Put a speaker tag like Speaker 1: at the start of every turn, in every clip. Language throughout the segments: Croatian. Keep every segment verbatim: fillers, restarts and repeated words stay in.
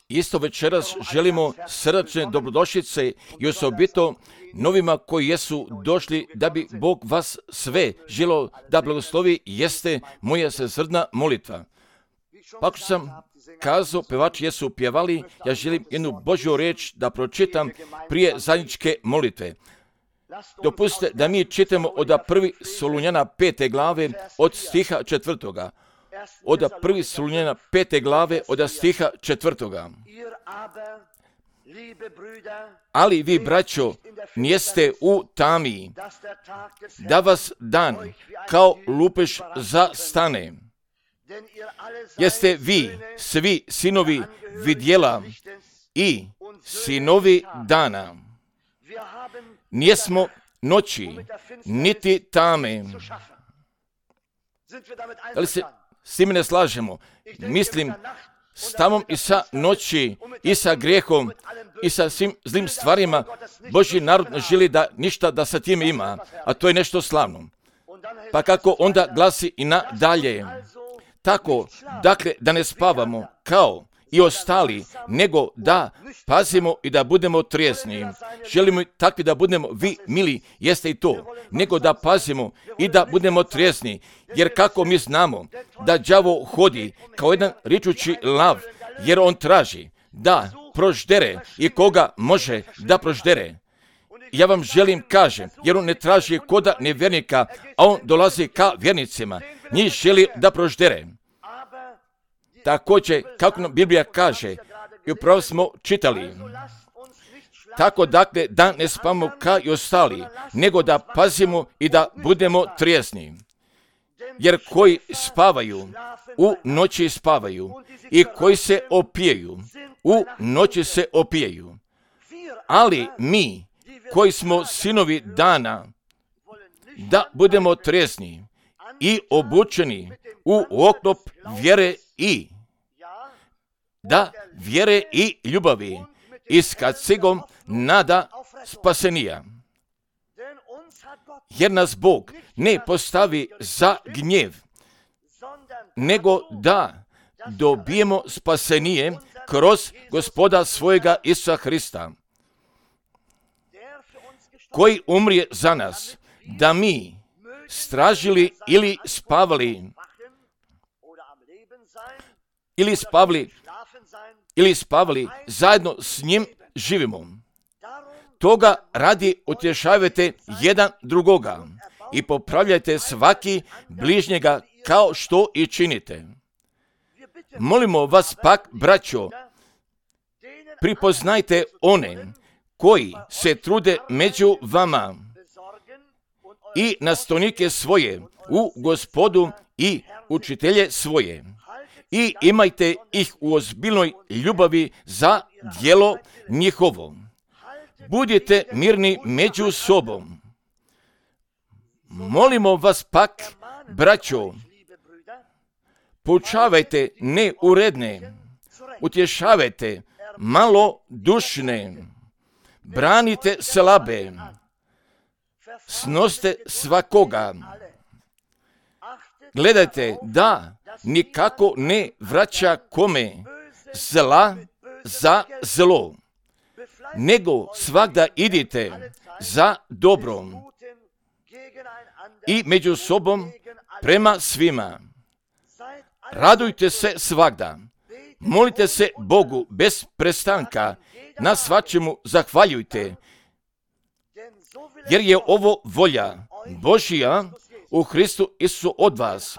Speaker 1: Isto večeras želimo srdačne dobrodošlice i osobito novima koji jesu došli da bi Bog vas sve želio da blagoslovi, jeste moja svesrdna molitva. Pa ako sam kazao, pevači jesu pjevali, ja želim jednu Božju riječ da pročitam prije zajedničke molitve. Dopustite da mi čitamo od prvi Solunjana pete glave od stiha četvrtoga. Od prvi Solunjana pete glave od stiha četvrtoga. Ali vi, braćo, nijeste u tami, da vas dan kao lupež zastane. Jeste vi svi sinovi vidjela i sinovi dana. Nijesmo noći, niti tame. Da li se s time ne slažemo? Mislim, s tamom i sa noći, i sa grijehom, i sa svim zlim stvarima, Božji narod ne želi da ništa da sa time ima, a to je nešto slavno. Pa kako onda glasi i nadalje? Tako, dakle, da ne spavamo kao i ostali, nego da pazimo i da budemo trijezni. Želimo takvi da budemo, vi, mili, jeste i to, nego da pazimo i da budemo trijezni, jer kako mi znamo da đavo hodi kao jedan ričući lav, jer on traži da proždere i koga može da proždere. Ja vam želim kažem, jer on ne traži koda nevjernika, a on dolazi ka vjernicima, njih želi da proždere. Također, kako nam Biblija kaže, i upravo smo čitali, tako dakle da ne spavamo kao i ostali, nego da pazimo i da budemo trijezni. Jer koji spavaju, u noći spavaju, i koji se opijaju, u noći se opijaju. Ali mi, koji smo sinovi dana, da budemo trijezni i obučeni u oklop vjere i da vjere i ljubavi i s kacigom nada spasenija. Jer nas Bog ne postavi za gnjev, nego da dobijemo spasenije kroz Gospoda svojega Isusa Hrista, koji umrije za nas, da mi stražili ili spavali, ili spavali, ili spavali, zajedno s njim živimo. Toga radi utješavajte jedan drugoga i popravljajte svaki bližnjega kao što i činite. Molimo vas pak, braćo, pripoznajte one koji se trude među vama i nastavnike svoje u Gospodu i učitelje svoje. I imajte ih u ozbiljnoj ljubavi za djelo njihovo. Budite mirni među sobom. Molimo vas pak, braćo, poučavajte neuredne, utješavajte malodušne, branite slabe, snoste svakoga. Gledajte da nikako ne vraća kome zla za zlo, nego svagda idite za dobrom i među sobom prema svima. Radujte se svagda, molite se Bogu bez prestanka, na svačemu zahvaljujte, jer je ovo volja Božja u Hristu Isusu od vas.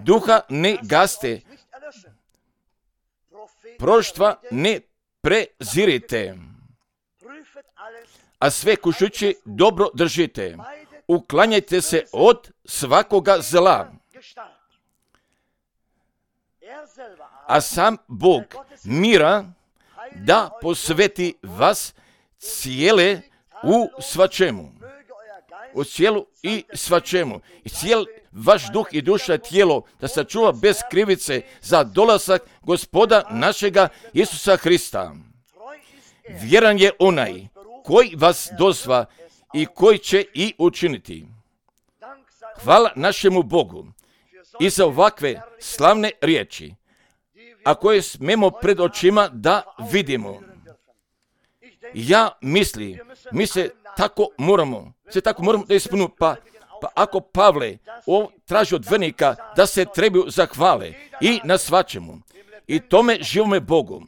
Speaker 1: Duha ne gaste, proštva ne prezirite, a sve kušući dobro držite. Uklanjajte se od svakoga zla. A sam Bog mira da posveti vas cijele u svačemu. U cijelu i svačemu. I cijel vaš duh i duša i tijelo da sačuva bez krivice za dolazak Gospoda našega Isusa Hrista. Vjeran je onaj koji vas dozva i koji će i učiniti. Hvala našemu Bogu i za ovakve slavne riječi. a koje smemo pred očima da vidimo. Ja mislim, mi se tako moramo, se tako moramo da ispunimo, pa, pa ako Pavle o, traži od vernika da se trebaju zahvale i na svačemu, i tome živome Bogu,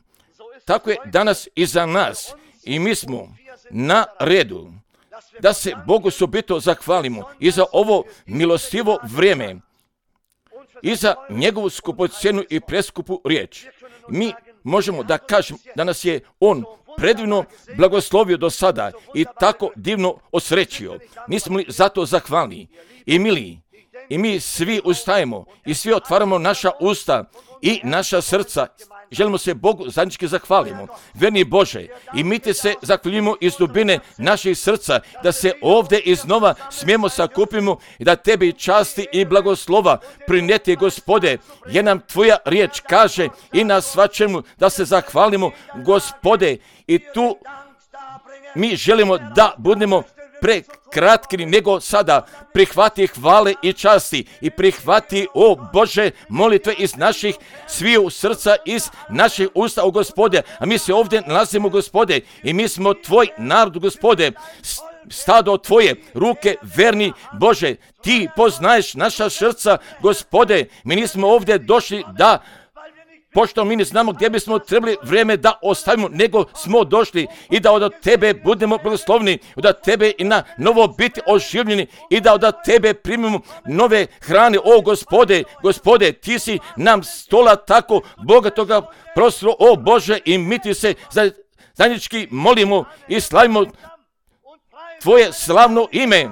Speaker 1: tako je danas i za nas, i mi smo na redu da se Bogu subito zahvalimo i za ovo milostivo vrijeme i za njegovu skupocjenu i preskupu riječ. Mi možemo da kažemo da nas je On predivno blagoslovio do sada i tako divno osrećio. Nismo li zato zahvalni i mili? I mi svi ustajemo i svi otvaramo naša usta i naša srca. Želimo se Bogu zajednički zahvalimo. Verni Bože, i mi te se zahvaljujemo iz dubine naših srca, da se ovdje iznova smijemo sakupimo i da tebi časti i blagoslova prineti, Gospode, jer nam tvoja riječ kaže i na svačemu da se zahvalimo, Gospode, i tu mi želimo da budemo prekratki nego sada. Prihvati hvale i časti i prihvati, o Bože, molitve iz naših sviju srca, iz naših usta, o Gospode. A mi se ovdje nalazimo, Gospode, i mi smo tvoj narod, Gospode, stado tvoje ruke, verni Bože. Ti poznaješ naša srca, Gospode. Mi nismo ovdje došli da, pošto mi ne znamo gdje bismo trebali vrijeme da ostavimo, nego smo došli i da od tebe budemo blagoslovni, da tebe i na novo biti oživljeni i da od tebe primimo nove hrane. O Gospode, Gospode, ti si nam stola tako bogatoga prostora, o Bože, i mi ti se zajednički molimo i slavimo tvoje slavno ime.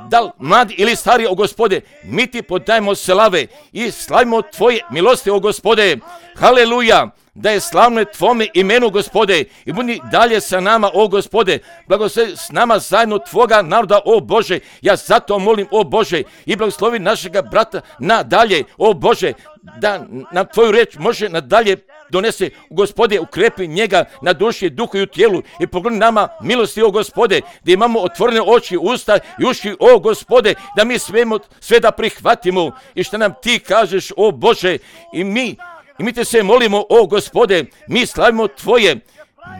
Speaker 1: Da li mladi ili stari, o Gospode, mi ti podajemo slave i slavimo tvoje milosti, o Gospode. Haleluja, da je slavno tvome imenu, Gospode, i budi dalje sa nama, o Gospode. Blagoslovi s nama zajedno tvoga naroda, o Bože. Ja zato molim, o Bože, i blagoslovi našega brata nadalje, o Bože, da nam tvoju reč može nadalje donese, Gospode, ukrepi njega na duši, duhu i u tijelu i pogledi nama milosti, o Gospode, da imamo otvorene oči, usta i uši, o Gospode, da mi svemo, sve da prihvatimo i što nam ti kažeš, o Bože, i mi, i mi te se molimo, o Gospode, mi slavimo tvoje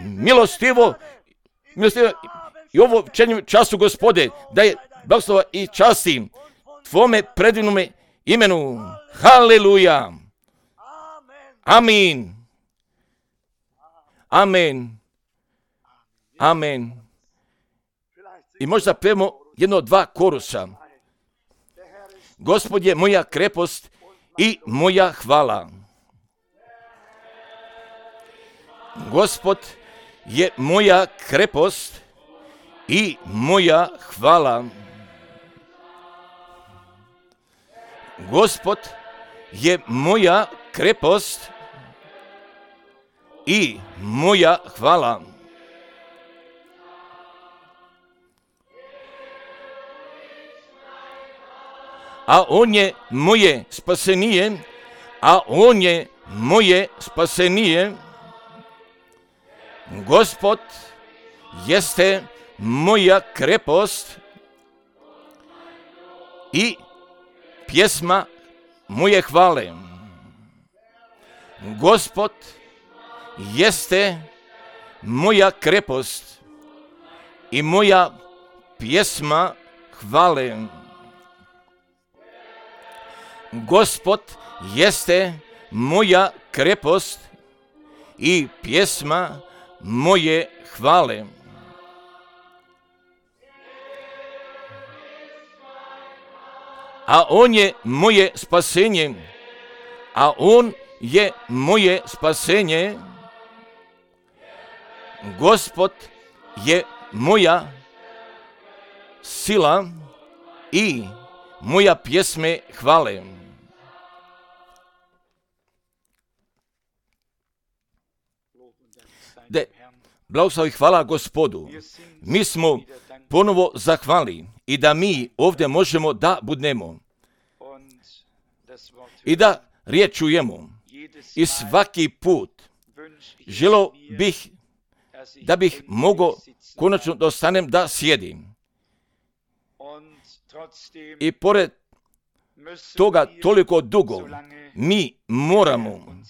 Speaker 1: milostivo, milostivo i ovo večernjem času, Gospode, da je blagoslova i časti tvome predivnome imenu. Haleluja. Amin. Amen. Amen. I možda pevamo jedno od dva korusa. Gospod je moja krepost i moja hvala. Gospod je moja krepost i moja hvala. Gospod je moja krepost i moja hvala. A on je moje spasenije, a on je moje spasenije. Gospod jeste moja krepost i pjesma moje hvale. Gospod jeste moja krepost i moja pjesma hvale. Gospod jeste moja krepost i pjesma moje hvale. A on je moje spasenje, a on je moje spasenje. Gospod je moja sila i moja pjesme hvale. De, blagoslovi hvala Gospodu. Mi smo ponovo zahvali i da mi ovdje možemo da budemo i da riječ čujemo. I svaki put želio bih da bih mogao konačno da ostanem da sjedim. I pored toga toliko dugo mi moramo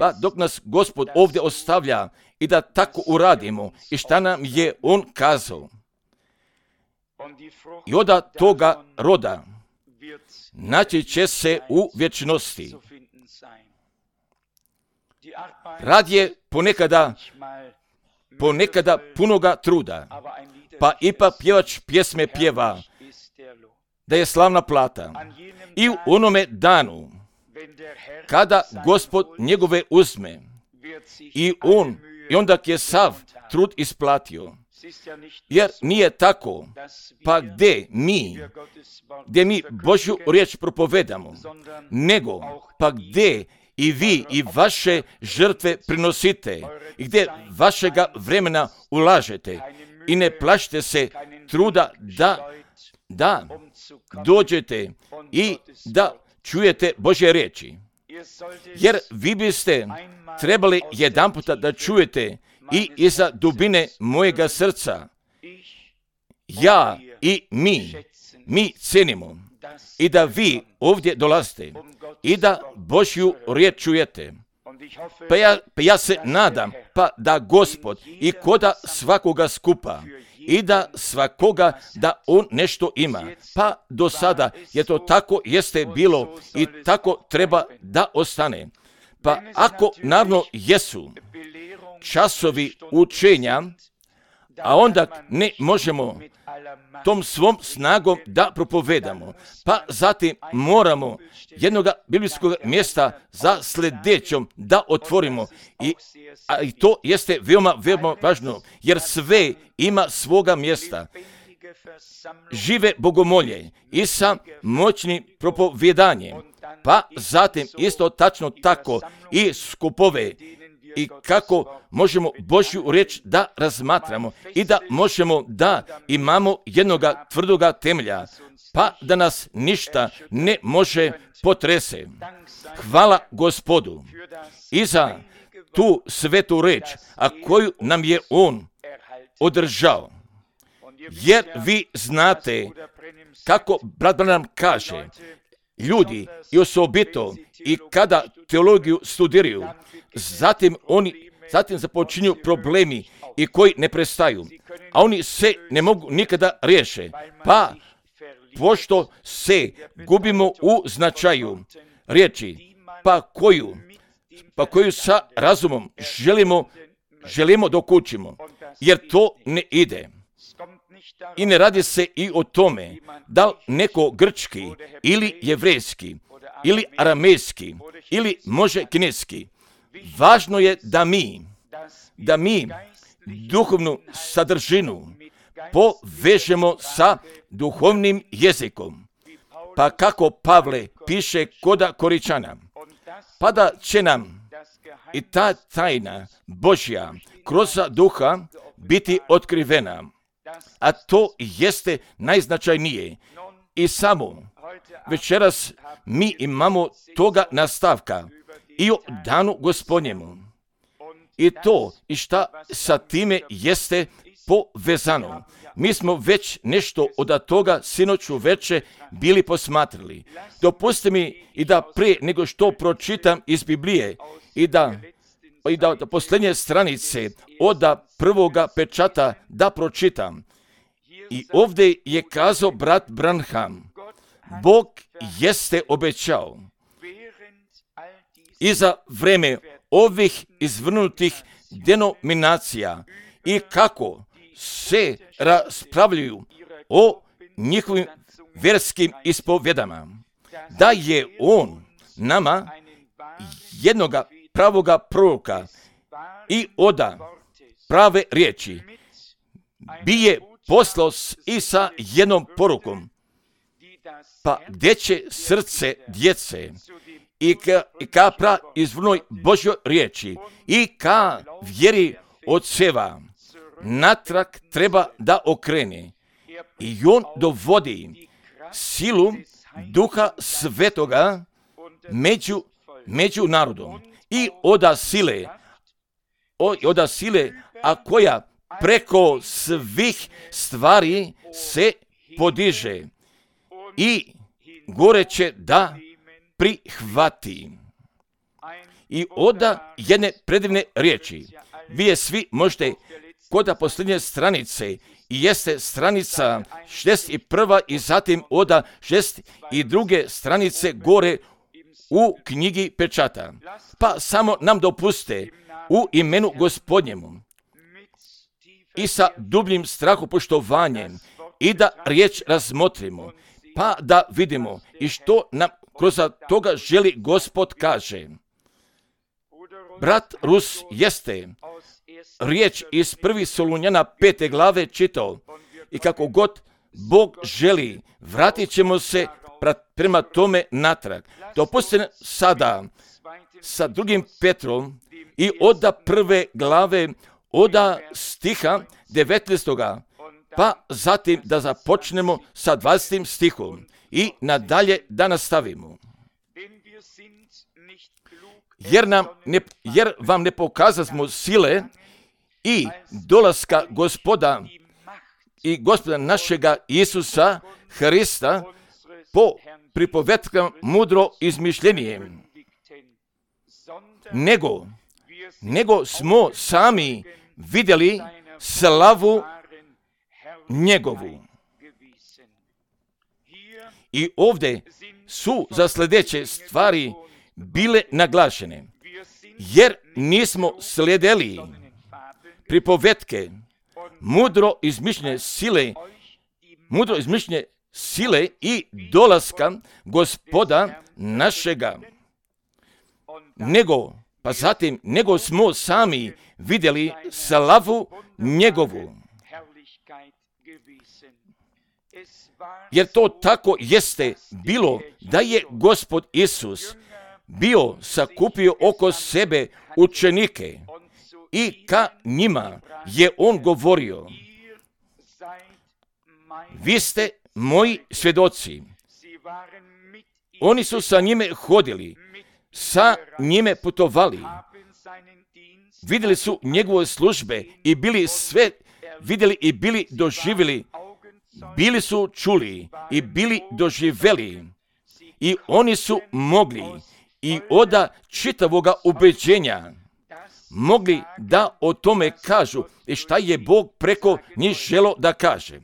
Speaker 1: Pa dok nas Gospod ovdje ostavlja i da tako uradimo i šta nam je On kazao. I onda toga roda naći će se u vječnosti. Rad je ponekada, ponekada punoga truda, pa ipak pjevač pjesme pjeva da je slavna plata. I u onome danu, kada Gospod njegove uzme i on, i onda je sav trud isplatio. Jer nije tako, pa gdje mi, gdje mi Božju riječ propovedamo, nego pa gdje i vi i vaše žrtve prinosite i gdje vašega vremena ulažete i ne plašite se truda da, da dođete i da čujete Božje riječi. Jer vi biste trebali jedanputa da čujete i iza dubine mojega srca. Ja i mi, mi cenimo i da vi ovdje dolazite i da Božju riječ čujete. Pa ja, pa ja se nadam pa da Gospod i koda svakoga skupa i da svakoga da on nešto ima. Pa do sada je to tako jeste bilo i tako treba da ostane. Pa ako naravno jesu časovi učenja, a onda ne možemo tom svom snagom da propovedamo. Pa zatim moramo jednoga biblijskog mjesta za sljedećom da otvorimo. I, a i to jeste veoma, veoma važno, jer sve ima svoga mjesta. Žive bogomolje i sa moćnim propovjedanjem. Pa zatim isto tačno tako i skupove i kako možemo Božju riječ da razmatramo i da možemo da imamo jednoga tvrdoga temelja, pa da nas ništa ne može potrese. Hvala Gospodu i za tu svetu riječ, a koju nam je On održao. Jer vi znate kako brat Branham kaže, ljudi i osobito i kada teologiju studiraju, zatim oni zatim započinju problemi i koji ne prestaju, a oni se ne mogu nikada riješe, pa pošto se gubimo u značaju riječi, pa koju, pa koju sa razumom želimo, želimo dok učimo, jer to ne ide. I ne radi se i o tome da li neko grčki ili jevrejski ili aramejski ili može kineski. Važno je da mi, da mi duhovnu sadržinu povežemo sa duhovnim jezikom. Pa kako Pavle piše koda Koričana, pa da će nam i ta tajna Božja kroz duha biti otkrivena. A to jeste najznačajnije. I samo večeras mi imamo toga nastavka i o danu Gospodnjemu. I to i šta sa time jeste povezano. Mi smo već nešto od toga sinoću veče bili posmatrali. Dopustite mi i da prije nego što pročitam iz Biblije i da i da od posljednje stranice od prvoga pečata da pročitam. I ovdje je kazao brat Branham, Bog jeste obećao i za vreme ovih izvrnutih denominacija i kako se raspravljaju o njihovim vjerskim ispovjedama, da je On nama jednoga pravoga proroka i oda prave riječi bi je poslao i sa jednom porukom, pa gdje će srce djece i ka, i ka pra izvrnoj Božjoj riječi i ka vjeri oceva natrag treba da okrene. I on dovodi silu Duha Svetoga među, među narodom i oda sile, o, oda sile, a koja preko svih stvari se podiže i gore će da prihvati I onda jedne predivne riječi. Vi je svi možete kod posljednje stranice i jeste stranica šezdeset prva i zatim oda šezdeset druge stranice gore u knjigi pečata. Pa samo nam dopuste u imenu Gospodnjemu i sa dubljim strahopoštovanjem i da riječ razmotrimo, pa da vidimo i što nam kroz toga želi Gospod kaže. Brat Rus jeste riječ iz prvi Solunjana pete glave čitao i kako god Bog želi, vratit ćemo se prema tome natrag. Dopustite sada sa drugim Petrom i oda prve glave, oda stiha devetnaestoga, pa zatim da započnemo sa dvadesetim stihom i nadalje da nastavimo. Jer, nam ne, jer vam ne pokazasmo sile i dolaska Gospoda i Gospoda našega Isusa Hrista po pripovetkama mudro izmišljenijem, nego, nego smo sami vidjeli slavu njegovu. I ovdje su za sljedeće stvari bile naglašene, jer nismo slijedili pripovetke mudro izmišljene sile, mudro izmišljene sile i dolaska Gospoda našega, nego, pa zatim, nego smo sami vidjeli slavu njegovu. Jer to tako jeste bilo da je Gospod Isus bio sakupio oko sebe učenike i ka njima je on govorio: vi ste moji svjedoci. Oni su sa njime hodili, sa njime putovali, vidjeli su njegove službe i bili sve vidjeli i bili doživjeli, bili su čuli i bili doživjeli i oni su mogli i oda čitavoga ubeđenja mogli da o tome kažu i šta je Bog preko njih želo da kaže.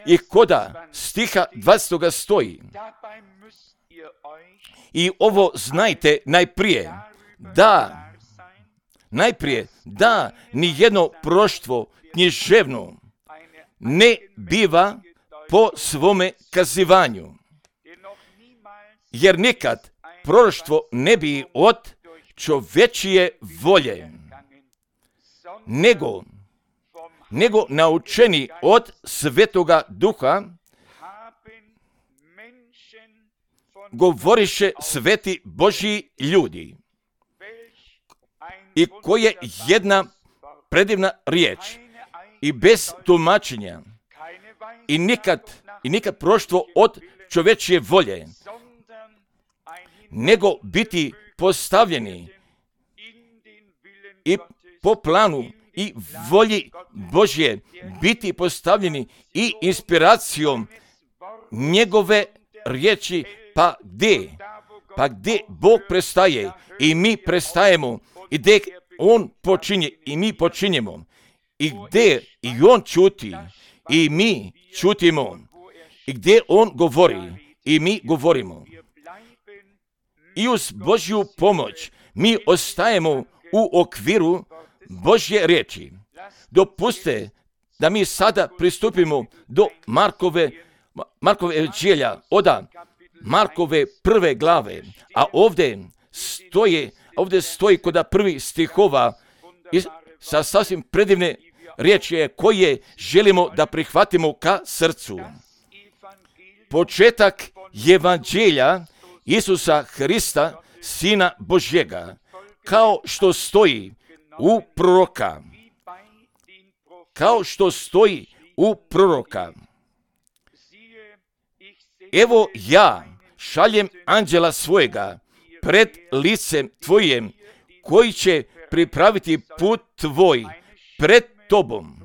Speaker 1: I koda stiha dvadesetoga stoji: i ovo znajte najprije, da, najprije, da nijedno proštvo književno ne biva po svome kazivanju, jer nikad proroštvo ne bi od čovečije volje, nego, nego naučeni od Svetoga Duha, govoriše sveti Božji ljudi, i koje jedna predivna riječ i bez tumačenja i nikad, i nikad proštvo od čovečije volje, nego biti postavljeni i po planu i volji Božje, biti postavljeni i inspiracijom njegove riječi, pa gdje, pa gdje Bog prestaje i mi prestajemo, i gdje on počinje i mi počinjemo, i gdje i on čuti i mi čutimo, i gdje on govori i mi govorimo. I uz Božju pomoć mi ostajemo u okviru Božje riječi. Dopustite da mi sada pristupimo do Markove, Markove evanđelja, oda Markove prve glave, a ovdje stoji, ovdje stoji kod prvih stihova sa sasvim predivne riječi koje želimo da prihvatimo ka srcu. Početak evanđelja Isusa Hrista, Sina Božjega, kao što stoji u proroka, kao što stoji u proroka. Evo ja šaljem anđela svojega pred licem tvojim, koji će pripraviti put tvoj pred tobom.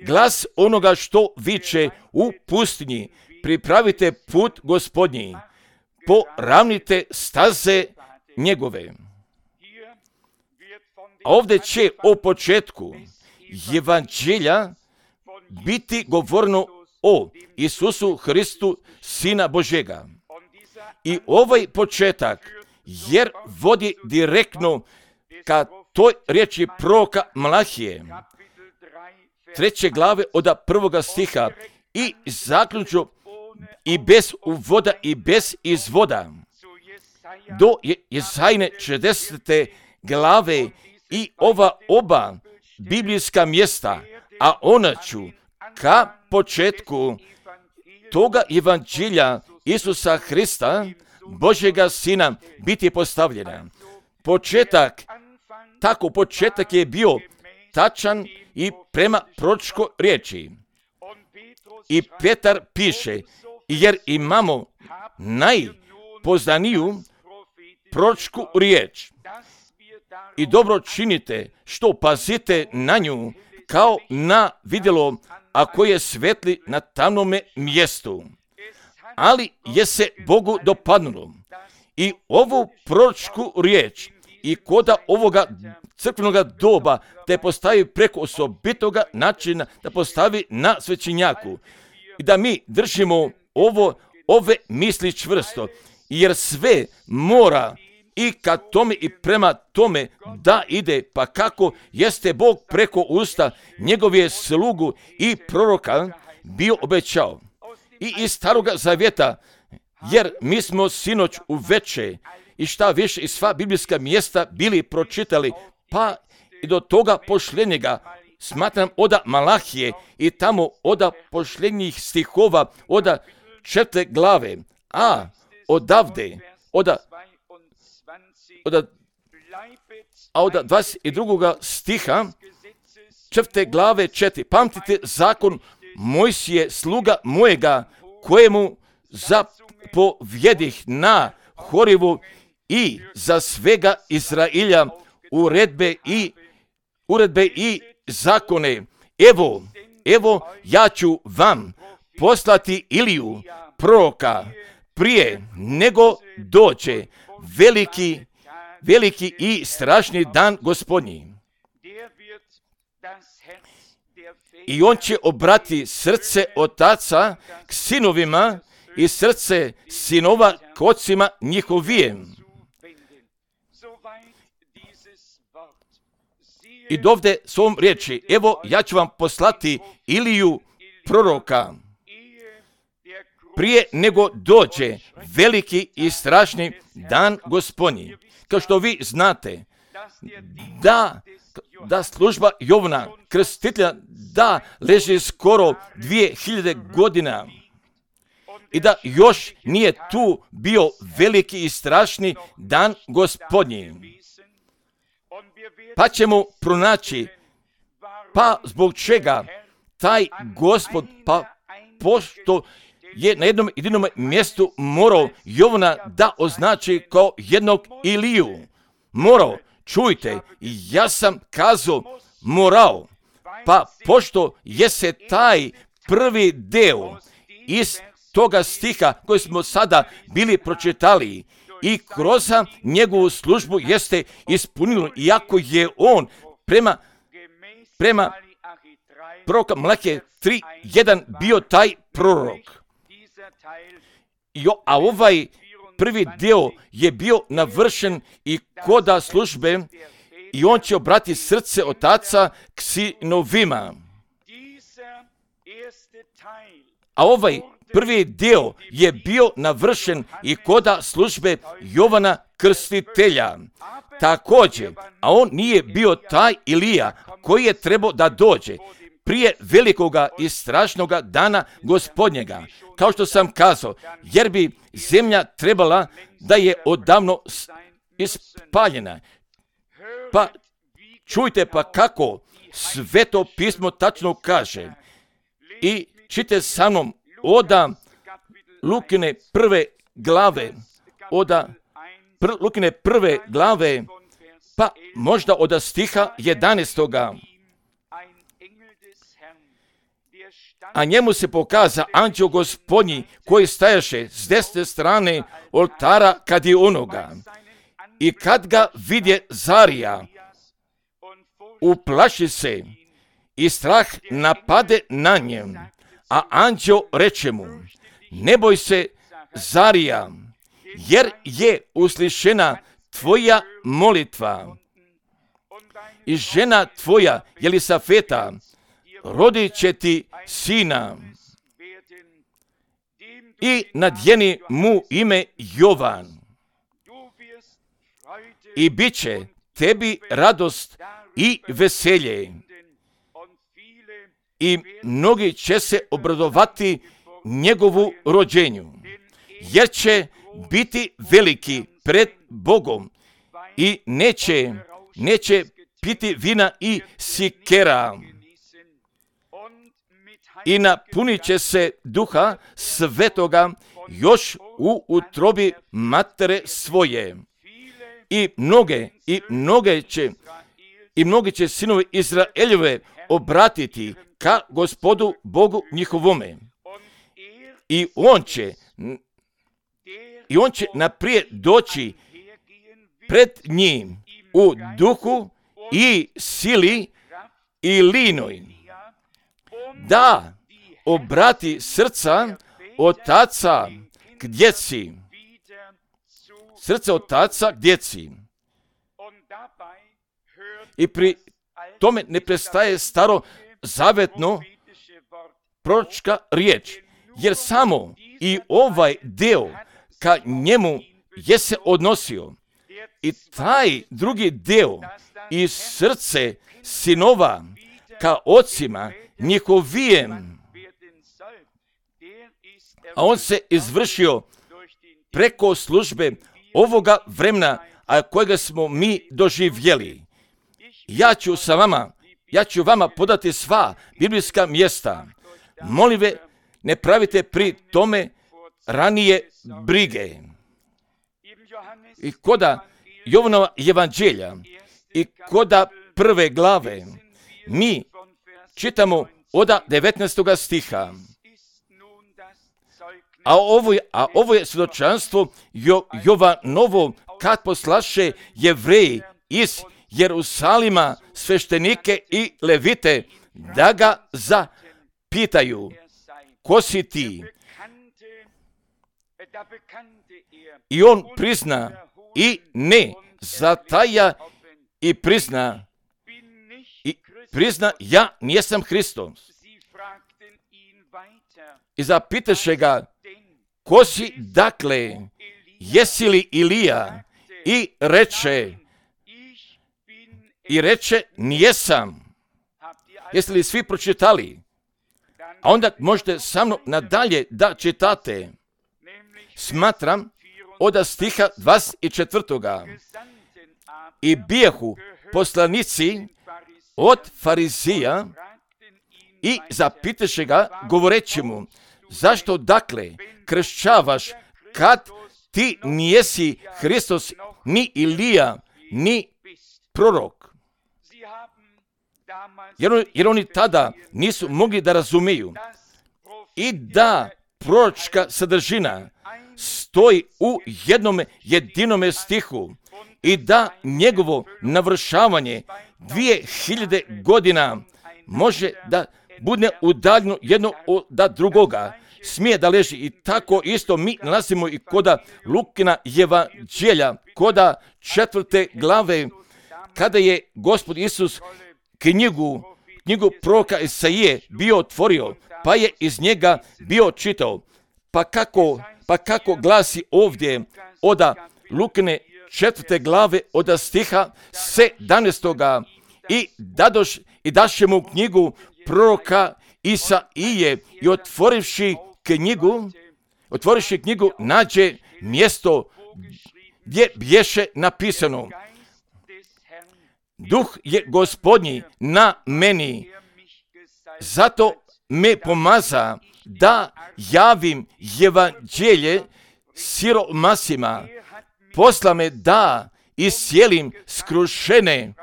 Speaker 1: Glas onoga što viče u pustinji: pripravite put Gospodnji, poravnite staze njegove. A ovdje će o početku evanđelja biti govorno o Isusu Hristu, Sina Božega. I ovaj početak, jer vodi direktno ka toj riječi proroka Malahije, treće glave od prvoga stiha, i zaključno i bez uvoda i bez izvoda, do Jezajine šezdesete glave, i ova oba biblijska mjesta, a ona ću ka početku toga evanđelja Isusa Hrista, Božjega Sina, biti postavljena. Početak, tako početak je bio tačan i prema proročkoj riječi. I Petar piše, jer imamo najpoznaniju proročku riječ. I dobro činite što pazite na nju kao na vidjelo, a koje svetli na tamnome mjestu. Ali je se Bogu dopadnulo i ovu proročku riječ i koda ovoga crkvenoga doba te postavi preko osobitoga načina da postavi na svećenjaku i da mi držimo ovo, ove misli čvrsto, jer sve mora i ka tome i prema tome da ide, pa kako jeste Bog preko usta njegove slugu i proroka bio obećao. I iz Staroga Zavjeta, jer mi smo sinoć uveče i šta više i sva biblijska mjesta bili pročitali, pa i do toga pošljenjega, smatram oda Malahije i tamo oda pošljenjih stihova, oda četvrte glave, a odavde, oda, oda, a oda dvadeset drugog stiha, četvrte glave četiri, pamtite zakon Mojsije, sluga mojega, kojemu zapovjedih na Horivu i za svega Izrailja uredbe i uredbe i zakone. Evo, evo ja ću vam poslati Iliju, proroka, prije nego dođe veliki, veliki i strašni dan Gospodnji. I on će obrati srce otaca k sinovima i srce sinova k ocima njihovijem. I dovde s ovom riječi, evo ja ću vam poslati Iliju, proroka, prije nego dođe veliki i strašni dan Gospodnji. Kao što vi znate, da, da služba Jovana Krstitelja da leži skoro dvije hiljade godina i da još nije tu bio veliki i strašni dan Gospodnji. Pa ćemo pronaći, pa zbog čega taj Gospod, pa pošto je na jednom jedinom mjestu morao Jovana da označi kao jednog Iliju. Morao, čujte, ja sam kazao morao, pa pošto je se taj prvi deo iz toga stiha koji smo sada bili pročitali i kroz njegovu službu jeste ispunilo, iako je on prema, prema proroka Malahije tri jedan bio taj prorok. Jo, a ovaj prvi dio je bio navršen i koda službe i on će obrati srce otaca k sinovima. A ovaj prvi dio je bio navršen i koda službe Jovana Krstitelja. Također, a on nije bio taj Ilija koji je trebao da dođe prije velikoga i strašnoga dana Gospodnjega, kao što sam kazao, jer bi zemlja trebala da je odavno ispaljena. Pa čujte pa kako Sveto pismo tačno kaže i čite sa mnom oda Lukine prve glave, oda pr, Lukine prve glave, pa možda od stiha jedanaestoga. A njemu se pokaza anđeo Gospodnji koji stajaše s desne strane oltara kad je onoga. I kad ga vidje Zarija, uplaši se i strah napade na njem, a anđeo reče mu, ne boj se, Zarija, jer je uslišena tvoja molitva i žena tvoja, Jelisafeta, rodit će ti sina i nadjeni mu ime Jovan. I bit će tebi radost i veselje. I mnogi će se obradovati njegovu rođenju, jer će biti veliki pred Bogom i neće, neće piti vina i sikera. I napunit će se duha svetoga još u utrobi matere svoje. I mnoge, i mnoge će, i mnogi će sinovi Izraeljeve obratiti ka Gospodu Bogu njihovome. I on će, i on će naprijed doći pred njim u duhu i sili i linoj, da obrati srca otaca k djeci, srce otaca k djeci. I pri tome ne prestaje staro zavetno proročka riječ, jer samo i ovaj deo ka njemu je se odnosio. I taj drugi deo i srce sinova ka ocima njihovijem, a on se izvršio preko službe ovoga vremena, a kojega smo mi doživjeli. Ja ću sa vama, ja ću vama podati sva biblijska mjesta. Molim ve, ne pravite pri tome ranije brige. I koda Jovanova evanđelja i koda prve glave mi čitamo oda devetnaestoga stiha. A ovo je, a ovo je svjedočanstvo jo, Jovanovo kad poslaše Jevreji iz Jerusalima sveštenike i levite da ga zapitaju, ko si ti? I on prizna i ne zataja i prizna i prizna ja nisam Hristos. I zapitaše ga, ko si dakle, jesi li Ilija? I reče, i reče, nijesam. Jeste li svi pročitali? A onda možete sa mnom nadalje da čitate. Smatram od stiha dvadeset četvrtoga. I bijahu poslanici od Farizija i zapitaše ga govoreći mu, zašto dakle kršćavaš kad ti nijesi Hristos, ni Ilija, ni prorok? Jer, jer oni tada nisu mogli da razumiju i da proročka sadržina stoji u jednom jedinome stihu i da njegovo navršavanje dvije hiljade godina može da bude udaljeno jedno od drugoga. Smije da leži i tako isto mi nalazimo i koda Lukina evanđelja, koda četvrte glave, kada je Gospod Isus knjigu, knjigu proroka Isaije bio otvorio, pa je iz njega bio čitao. Pa kako, pa kako glasi ovdje oda Lukine četvrte glave oda stiha sedamnaestoga i dadoš i daše mu knjigu proroka Isaije i otvorivši knjigu, otvorivši knjigu nađe mjesto gdje bješe napisano: Duh je Gospodnji na meni, zato me pomaza da javim evanđelje siromasima, posla me da iscijelim skrušene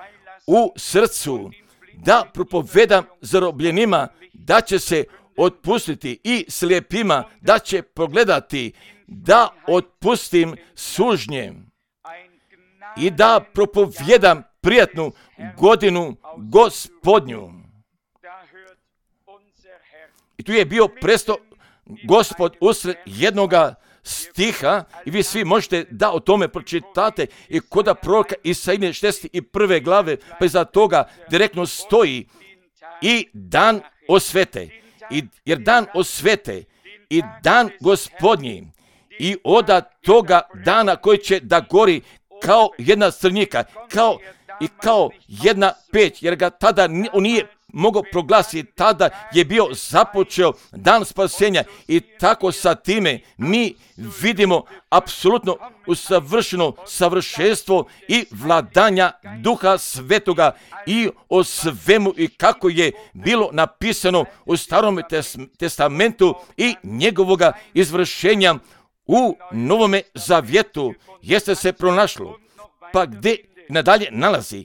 Speaker 1: u srcu, da propovedam zarobljenima da će se otpustiti i slijepima da će pogledati, da otpustim sužnje i da propovjedam prijatnu godinu Gospodnju. I tu je bio presto Gospod usred jednoga stiha i vi svi možete da o tome pročitate i koda proroka Isaije šezdeset prve glave, pa iza toga direktno stoji i dan osvete, i, jer dan osvete i dan Gospodnji i oda toga dana koji će da gori kao jedna crnika, kao i kao jedna peć, jer ga tada on nije mogao proglasiti, tada je bio započeo dan spasenja i tako sa time mi vidimo apsolutno usavršeno savršenstvo i vladanja Duha Svetoga i o svemu i kako je bilo napisano u Starom testamentu i njegovoga izvršenja u Novome Zavjetu jeste se pronašlo. Pa gdje nadalje nalazi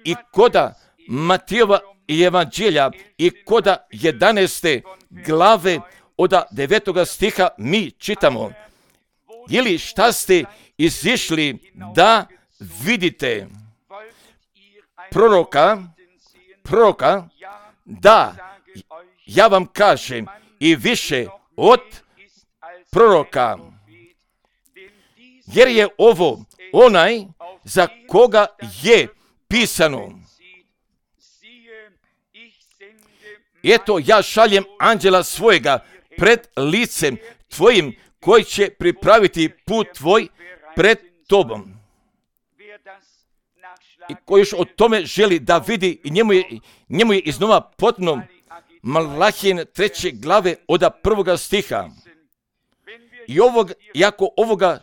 Speaker 1: i koda Matijeva i Evanđelja i koda jedanaeste glave od devetoga stiha mi čitamo: ili šta ste izišli da vidite proroka, proroka, da, ja vam kažem, i više od proroka, jer je ovo onaj za koga je pisano: eto, ja šaljem anđela svojega pred licem tvojim, koji će pripraviti put tvoj pred tobom. I koji još o tome želi da vidi, i njemu je, njemu je iznova potrebno Malahijine treće glave od prvoga stiha. I ovog, jako ovoga,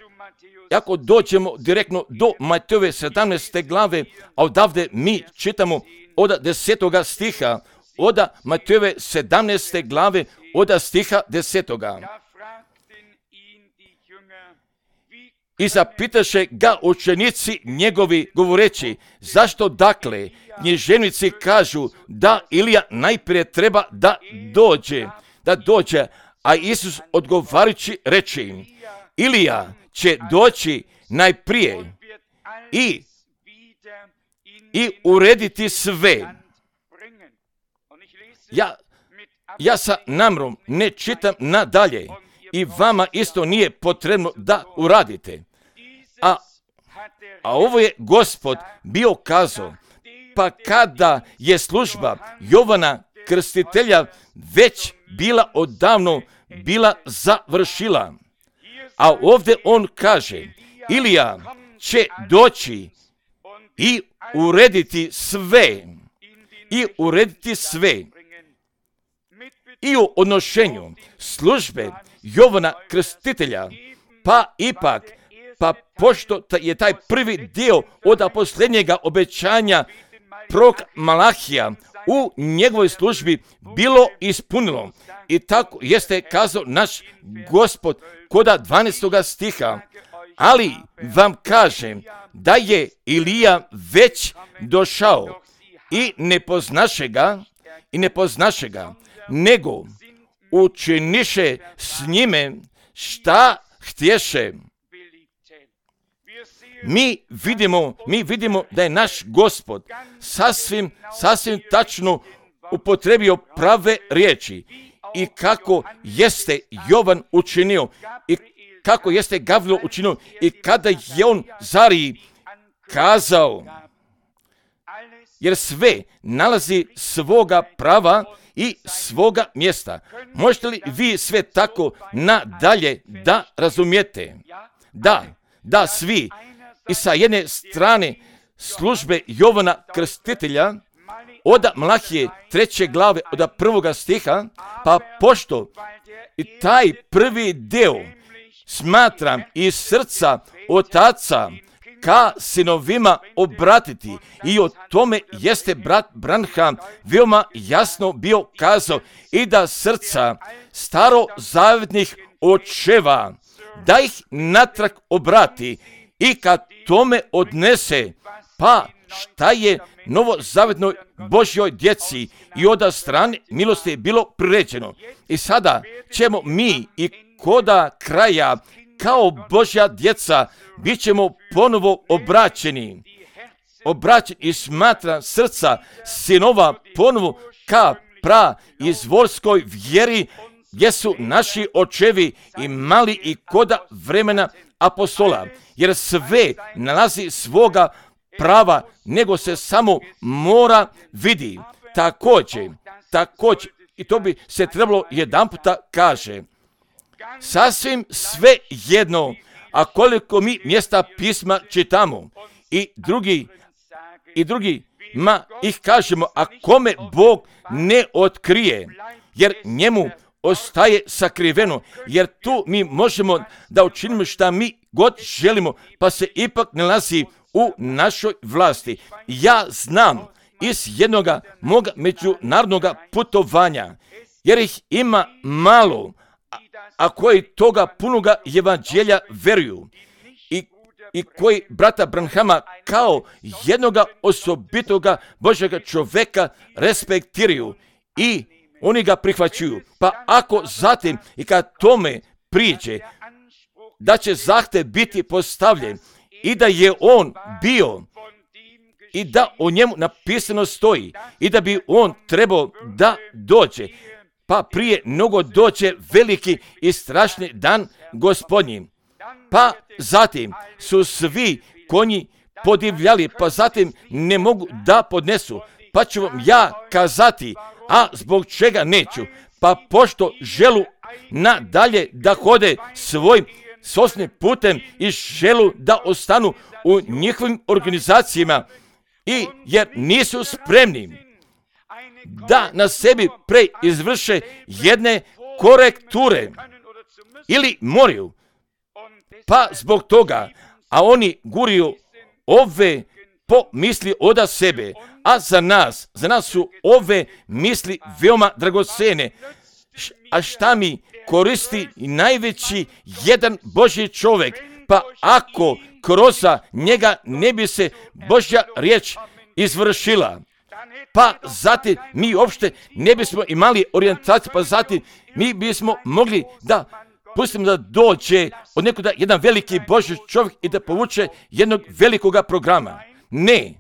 Speaker 1: jako dođemo direktno do Matejove sedamnaeste glave, a odavde mi čitamo od desetoga stiha, od Matejove sedamnaeste glave, od stiha desetoga. I zapitaše ga učenici njegovi govoreći: zašto dakle književnici kažu da Ilija najprije treba da dođe, da dođe, a Isus odgovarajući reče im: Ilija će doći najprije i, i urediti sve. Ja, ja sa namrom ne čitam nadalje i vama isto nije potrebno da uradite. A, a ovo je Gospod bio kazao, pa kada je služba Jovana Krstitelja već bila odavno bila završila. A ovdje on kaže: Ilija će doći i urediti sve. I urediti sve. I u odnošenju službe Jovana Krstitelja, pa ipak, pa pošto je taj prvi dio od posljednjega obećanja prorok Malahija u njegovoj službi bilo ispunilo. I tako jeste kazao naš Gospod koda dvanaestoga stiha: ali vam kažem da je Ilija već došao i ne poznaše ga, i ne poznaše ga, nego učiniše s njime šta htješe. Mi vidimo, mi vidimo da je naš Gospod sasvim, sasvim tačno upotrebio prave riječi i kako jeste Jovan učinio i kako jeste Gavriel učinio i kada je on Zariji kazao, jer sve nalazi svoga prava i svoga mjesta. Možete li vi sve tako nadalje da razumijete? Da, da svi. I sa jedne strane službe Jovana Krstitelja, od Malahije treće glave, od prvoga stiha, pa pošto i taj prvi deo smatram iz srca otaca ka sinovima obratiti, i o tome jeste brat Branham veoma jasno bio kazao, i da srca starozavjetnih očeva da ih natrag obrati i kad tome odnese, pa šta je novozavjetnoj Božjoj djeci i od strane milosti je bilo priređeno. I sada ćemo mi i koda kraja kao Božja djeca bit ćemo ponovo obraćeni obraćen i smatra srca sinova ponovo ka pra izvorskoj vjeri, gdje su naši očevi imali i koda vremena apostola, jer sve nalazi svoga prava, nego se samo mora vidi. Također, također, i to bi se trebalo jedan puta kaže, sasvim sve jedno, a koliko mi mjesta pisma čitamo i drugi, i drugi, ma ih kažemo, a kome Bog ne otkrije, jer njemu ostaje sakriveno, jer tu mi možemo da učinimo šta mi god želimo, pa se ipak nalazi u našoj vlasti. Ja znam iz jednoga moga međunarodnog putovanja, jer ih ima malo, a, a koji toga punoga evanđelja veruju i, i koji brata Branhama kao jednoga osobitoga Božjega čoveka respektiraju i oni ga prihvaćuju. Pa ako zatim i kad tome priđe, da će zahtev biti postavljen i da je on bio i da o njemu napisano stoji i da bi on trebao da dođe, pa prije mnogo dođe veliki i strašni dan Gospodnji. Pa zatim su svi konji podivljali, pa zatim ne mogu da podnesu. Pa ću vam ja kazati, a zbog čega neću? Pa pošto želu nadalje da hode svojim sosnim putem i želu da ostanu u njihovim organizacijama, i jer nisu spremni da na sebi preizvrše jedne korekture ili moraju, pa zbog toga, a oni guriju ove pomisli oda sebe, a za nas, za nas su ove misli veoma dragocene. A šta mi koristi najveći jedan Božji čovjek, pa ako kroz njega ne bi se Božja riječ izvršila, pa zatim mi uopšte ne bismo imali orijentaciju, pa zatim mi bismo mogli da pustimo da dođe od nekuda jedan veliki Božji čovjek i da povuče jednog velikoga programa. Ne,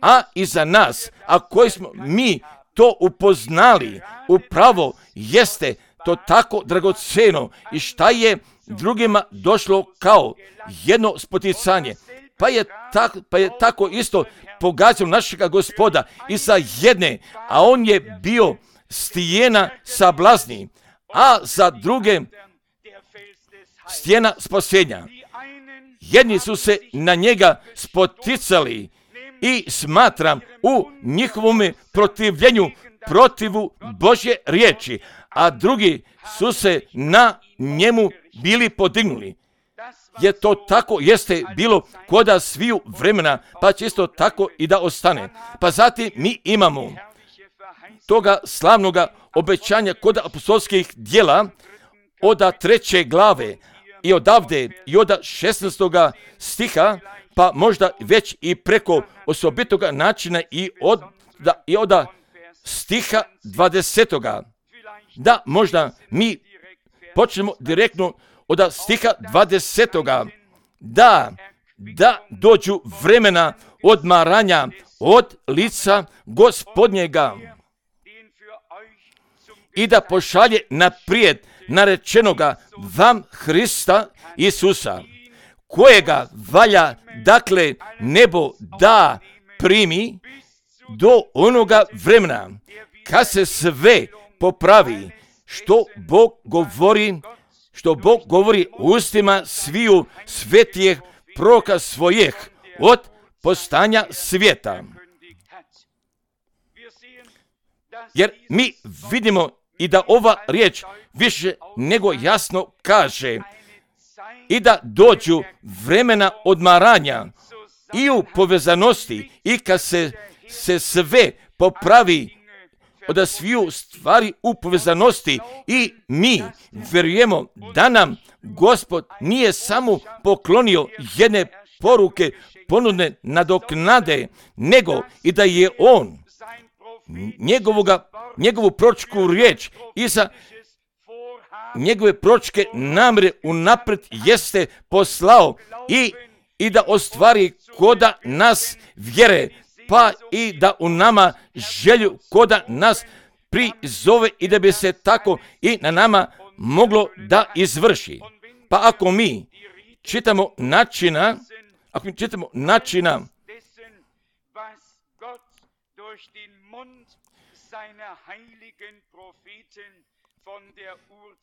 Speaker 1: a i za nas, a koji smo mi to upoznali, upravo jeste to tako dragoceno i šta je drugima došlo kao jedno spoticanje. Pa je, tak, pa je tako isto pogađao našega Gospoda i sa jedne, a on je bio stijena sablazni, a za druge stijena spasenja. Jedni su se na njega spoticali i smatram u njihovom protivljenju protivu Božje riječi, a drugi su se na njemu bili podignuli. Je to tako jeste bilo koda sviju vremena, pa će isto tako i da ostane. Pa zatim mi imamo toga slavnoga obećanja kod apostolskih djela od treće glave i odavde i od šesnaestoga stiha, pa možda već i preko osobitoga načina i od, da, i od stiha dvadesetoga. Da možda mi počnemo direktno od stiha dvadesetoga. Da, da dođu vremena odmaranja od lica Gospodnjega i da pošalje naprijed narečenoga vam Hrista Isusa, kojega valja, dakle, nebo da primi do onoga vremena, kad se sve popravi, što Bog govori, što Bog govori ustima sviju svetijeh proroka svojih od postanja svijeta. Jer mi vidimo i da ova riječ više nego jasno kaže i da dođu vremena odmaranja i u povezanosti i kad se, se sve popravi od sviju stvari u povezanosti i mi vjerujemo da nam Gospod nije samo poklonio jedne poruke ponudne nadoknade, nego i da je On njegovoga, njegovu proročku riječ i za njegove proročke namjere unaprijed jeste poslao i i da ostvari koda nas vjere, pa i da u nama želju koda nas prizove i da bi se tako i na nama moglo da izvrši. Pa ako mi čitamo načina, ako mi čitamo načina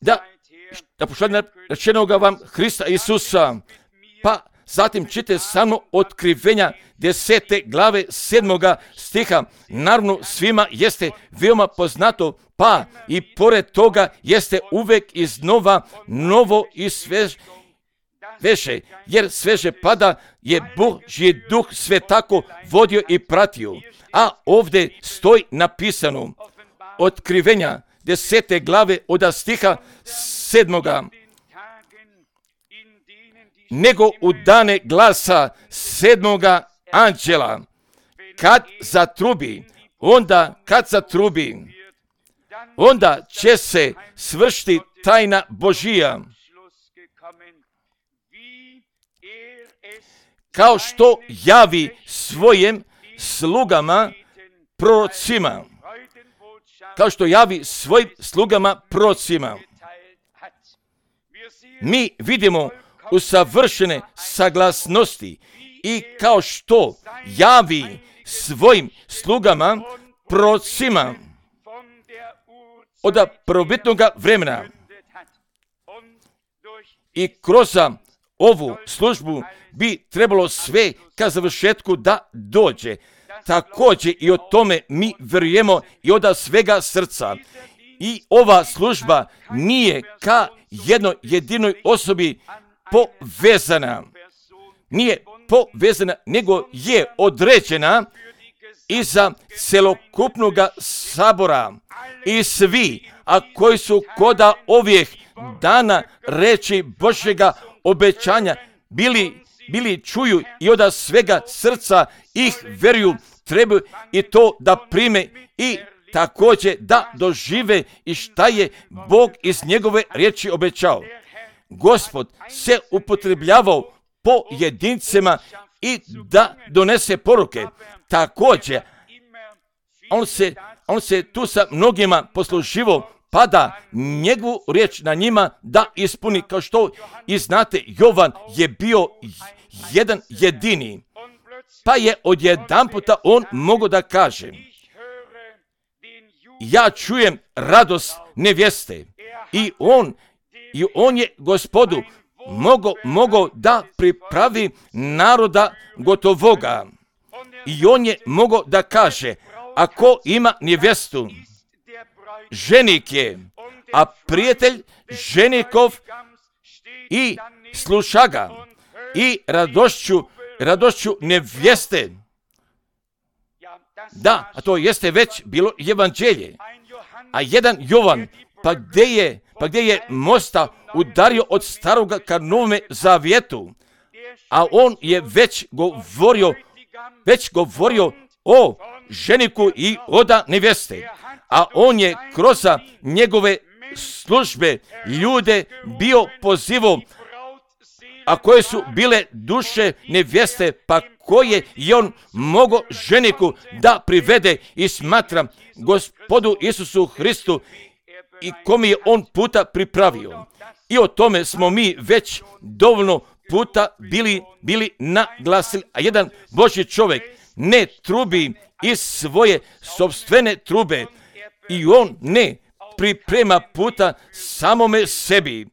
Speaker 1: da, da pošalje rečenoga vam Hrista Isusa, pa zatim čite samo Otkrivenja desete glave sedmoga stiha. Naravno svima jeste veoma poznato, pa i pored toga jeste uvek iznova novo i svež, veše, jer sveže pada je Božji duh sve tako vodio i pratio. A ovdje stoji napisano Otkrivenja desete glave od stiha sedmoga. Nego u dane glasa sedmoga anđela, kad zatrubi, onda kad zatrubi, onda će se svršiti tajna Božija, kao što javi svojim slugama prorocima, kao što javi svojim slugama prorocima. Mi vidimo usavršene saglasnosti i kao što javi svojim slugama prorocima od prvobitnog vremena i kroz ovu službu bi trebalo sve ka završetku da dođe. Također i o tome mi vjerujemo i od svega srca. I ova služba nije ka jednoj jedinoj osobi povezana. Nije povezana, nego je određena iza celokupnog sabora. I svi, a koji su koda ovih dana reči Božjega obećanja bili, bili čuju i od svega srca ih veruju, trebaju i to da prime i također da dožive i šta je Bog iz njegove riječi obećao. Gospod se upotrebljavao po jedincima i da donese poruke. Također, on se, on se tu sa mnogima posluživao, pa da njegovu riječ na njima da ispuni, kao što i znate, Jovan je bio jedan jedini, pa je odjedanputa on mogao da kaže: ja čujem radost nevjeste. I on, i on je Gospodu mogao, mogao da pripravi naroda gotovoga. I on je mogao da kaže: ako ima nevjestu, ženik je, a prijatelj ženikov i sluša ga i radošću, radošću nevjeste. Da, a to jeste već bilo evanđelje. A jedan Jovan, pa gdje je, pa gdje je mosta udario od staroga ka novome zavjetu, a on je već govorio, već govorio o ženiku i oda nevjeste. A on je kroz njegove službe ljude bio pozivao, a koje su bile duše nevjeste, pa koje je on mogao ženiku da privede i smatra Gospodu Isusu Hristu i kom je on puta pripravio. I o tome smo mi već dovoljno puta bili, bili naglasili. A jedan Božji čovjek ne trubi iz svoje sopstvene trube i on ne priprema puta samome sebi.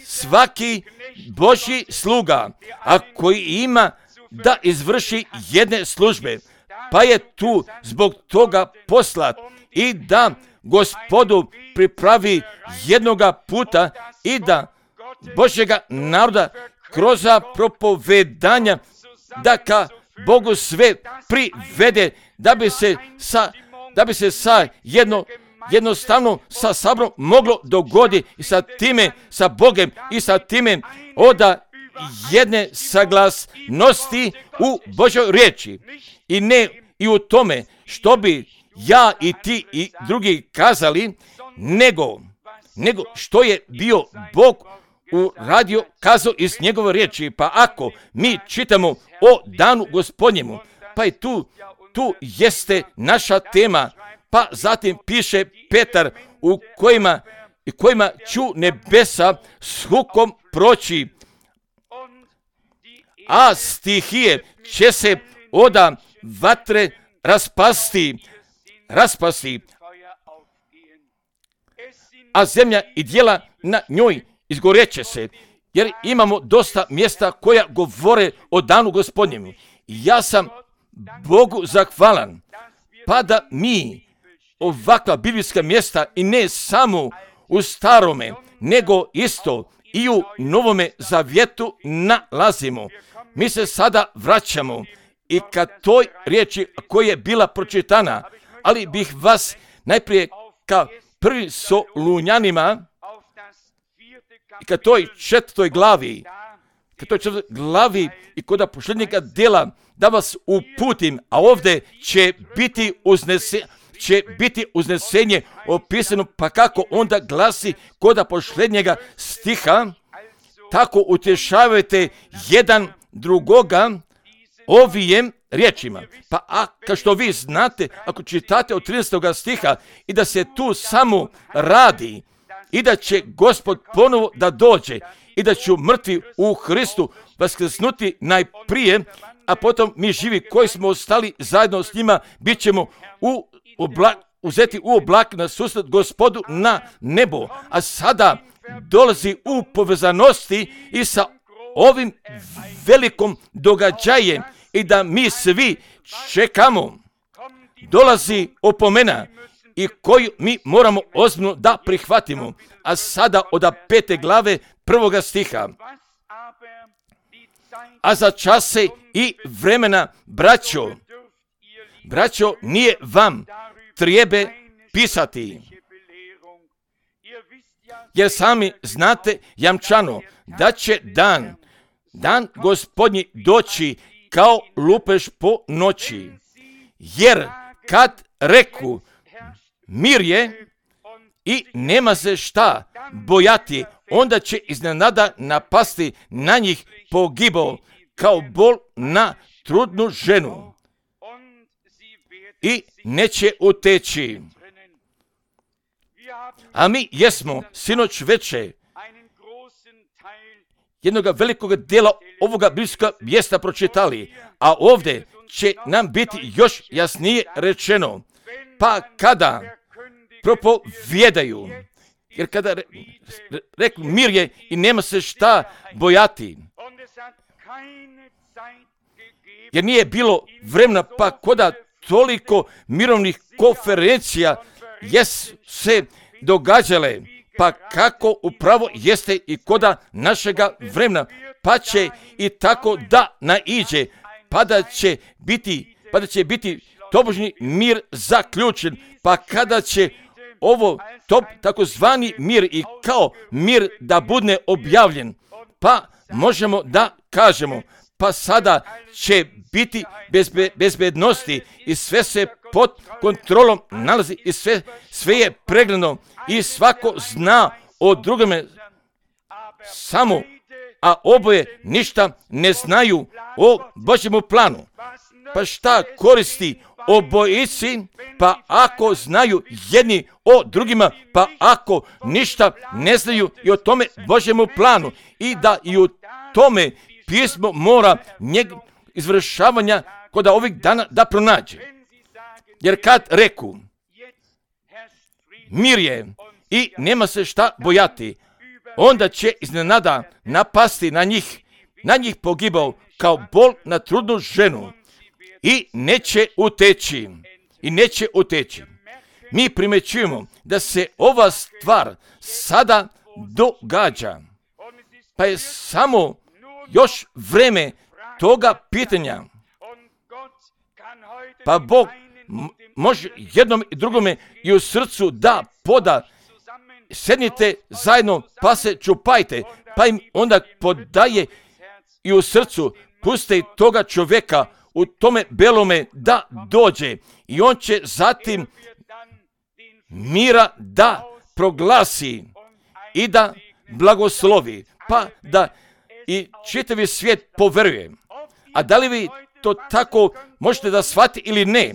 Speaker 1: Svaki Božji sluga, a koji ima da izvrši jedne službe, pa je tu zbog toga poslat i da Gospodu pripravi jednoga puta i da Božjega naroda kroz propovedanja da ka Bogu sve privede, da bi se sa, da bi se sa jedno, jednostavno sa sabrom moglo dogoditi i sa time, sa Bogem i sa time oda jedne saglasnosti u Božoj riječi. I ne i u tome što bi ja i ti i drugi kazali, nego, nego što je bio Bog uradio, kazao iz njegove riječi. Pa ako mi čitamo o danu Gospodnjemu, pa i tu, tu jeste naša tema. Pa zatim piše Petar u kojima, kojima ću nebesa s hukom proći, a stihije će se oda vatre raspasti, raspasti, a zemlja i djela na njoj izgoreće se, jer imamo dosta mjesta koja govore o danu Gospodnjemu. Ja sam Bogu zahvalan, pa da mi ovakva biblijska mjesta i ne samo u starome, nego isto i u Novome Zavjetu nalazimo. Mi se sada vraćamo i ka toj riječi koja je bila pročitana, ali bih vas najprije ka prvi Solunjanima i ka toj četvrtoj glavi, ka toj četvrtoj glavi i kod posljednjega djela da vas uputim, a ovdje će biti uznesenje, će biti uznesenje opisano, pa kako onda glasi kod posljednjega stiha, tako utješavajte jedan drugoga ovijem riječima. Pa a kao što vi znate, ako čitate od trinaestog stiha i da se tu samo radi i da će Gospod ponovo da dođe i da će mrtvi u Hristu vaskrsnuti najprije, a potom mi živi koji smo ostali zajedno s njima bit ćemo u oblak, uzeti u oblak na susret Gospodu na nebo. A sada dolazi u povezanosti i sa ovim velikom događajem i da mi svi čekamo. Dolazi opomena i koju mi moramo ozbiljno da prihvatimo. A sada od pete glave prvoga stiha. A za čase i vremena, braćo, braćo, nije vam treba pisati, jer sami znate jamčano da će dan, dan Gospodnji doći kao lupež po noći. Jer kad reku mir je i nema se šta bojati, onda će iznenada napasti na njih pogibao kao bol na trudnu ženu i neće uteći. A mi jesmo sinoć veče jednoga velikog dijela ovoga biblijskog mjesta pročitali, a ovdje će nam biti još jasnije rečeno. Pa kada propovjedaju, jer kada re, re, rekli mir je i nema se šta bojati, jer nije bilo vremena, pa koda toliko mirovnih konferencija jes se događale, pa kako upravo jeste i koda našega vremena, pa će i tako da naiđe, pa da će biti, pa da će biti tobožnji mir zaključen, pa kada će ovo top, takozvani mir i kao mir da bude objavljen, pa možemo da kažemo, pa sada će biti bezbe, bezbednosti i sve se pod kontrolom nalazi i sve, sve je pregledno i svako zna o drugome samo, a oboje ništa ne znaju o Božjemu planu. Pa šta koristi obojici, pa ako znaju jedni o drugima, pa ako ništa ne znaju i o tome Božjemu planu i da i u tome pismo mora njeg izvršavanja kod ovih dana da pronađe. Jer kad reku mir je i nema se šta bojati, onda će iznenada napasti na njih, na njih pogibao kao bol na trudnu ženu i neće uteći. I neće uteći. Mi primećujemo da se ova stvar sada događa, pa je samo još vreme toga pitanja. Pa Bog m- može jednom i drugome i u srcu da poda, sednite zajedno pa se čupajte, pa im onda podaje i u srcu puste toga čovjeka u tome belome da dođe i on će zatim mira da proglasi i da blagoslovi. pa da i čitavi svijet poveruje. A da li vi to tako možete da shvati ili ne?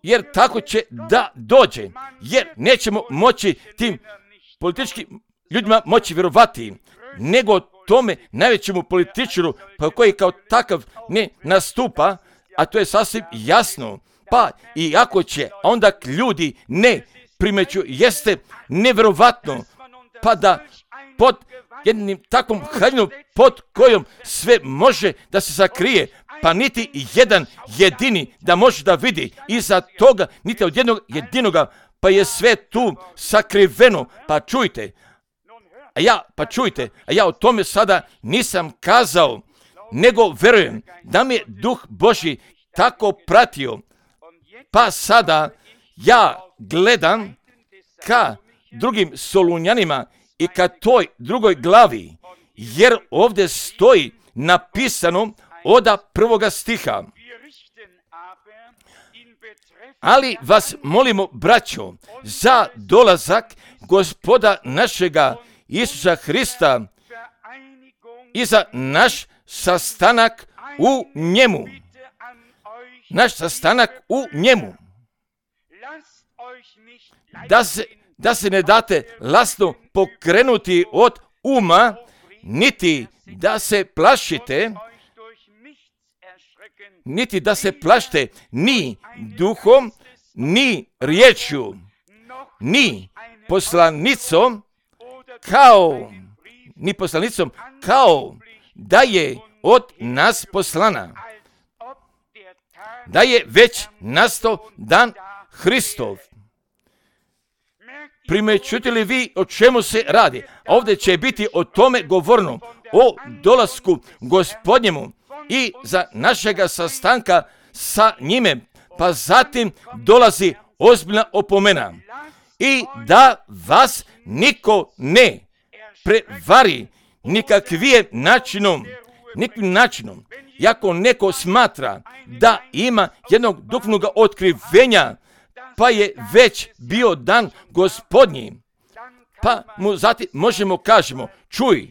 Speaker 1: Jer tako će da dođe. Jer nećemo moći tim političkim ljudima moći vjerovati, nego tome najvećemu političaru, pa koji kao takav ne nastupa, a to je sasvim jasno. Pa i ako će onda ljudi ne primeću, jeste nevjerovatno, pa da pod jednim takvom haljinom pod kojom sve može da se sakrije, pa niti jedan jedini da može da vidi iza toga, niti od jednog jedinoga, pa je sve tu sakriveno. Pa čujte, a ja, pa čujte, a ja o tome sada nisam kazao, nego verujem da mi je Duh Božji tako pratio. Pa sada ja gledam ka drugim Solunjanima i ka toj drugoj glavi, jer ovdje stoji napisano oda prvoga stiha. Ali vas molimo, braćo, za dolazak Gospoda našega Isusa Hrista i za naš sastanak u njemu. Naš sastanak u njemu. Da se, da se ne date lastno pokrenuti od uma, niti da se plašite, niti da se plašite ni duhom, ni riječju, ni poslanicom, kao, ni poslanicom, kao da je od nas poslana. Da je već nastao dan Hristov. Primećujete li vi o čemu se radi? Ovdje će biti o tome govorno, o dolasku Gospodnjemu i za našega sastanka sa njime. Pa zatim dolazi ozbiljna opomena. I da vas niko ne prevari nikakvim načinom, nikakvim načinom. Iako neko smatra da ima jednog duhovnog otkrivenja, pa je već bio dan Gospodnji, pa mu zatim možemo kažemo, čuj,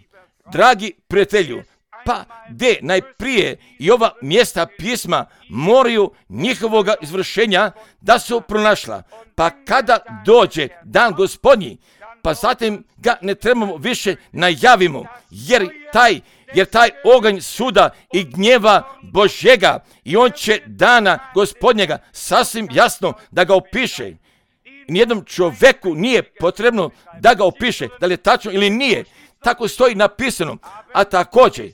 Speaker 1: dragi prijatelju, pa gdje najprije i ova mjesta pisma moraju njihovoga izvršenja da su pronašla. Pa kada dođe dan Gospodnji, pa zatim ga ne trebamo više najavimo, jer taj, jer taj oganj suda i gnjeva Božjega i on će dana Gospodnjega sasvim jasno da ga opiše. Nijednom čovjeku nije potrebno da ga opiše, da li je tačno ili nije. Tako stoji napisano. A također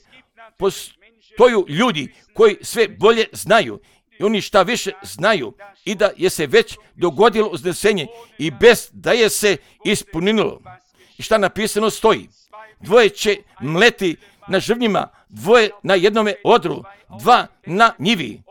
Speaker 1: postoju ljudi koji sve bolje znaju i oni šta više znaju i da je se već dogodilo uznesenje i bez da je se ispunilo. I šta napisano stoji? Dvoje će mleti na žrvnjima, dvoje na jednome odru, dva na njivi.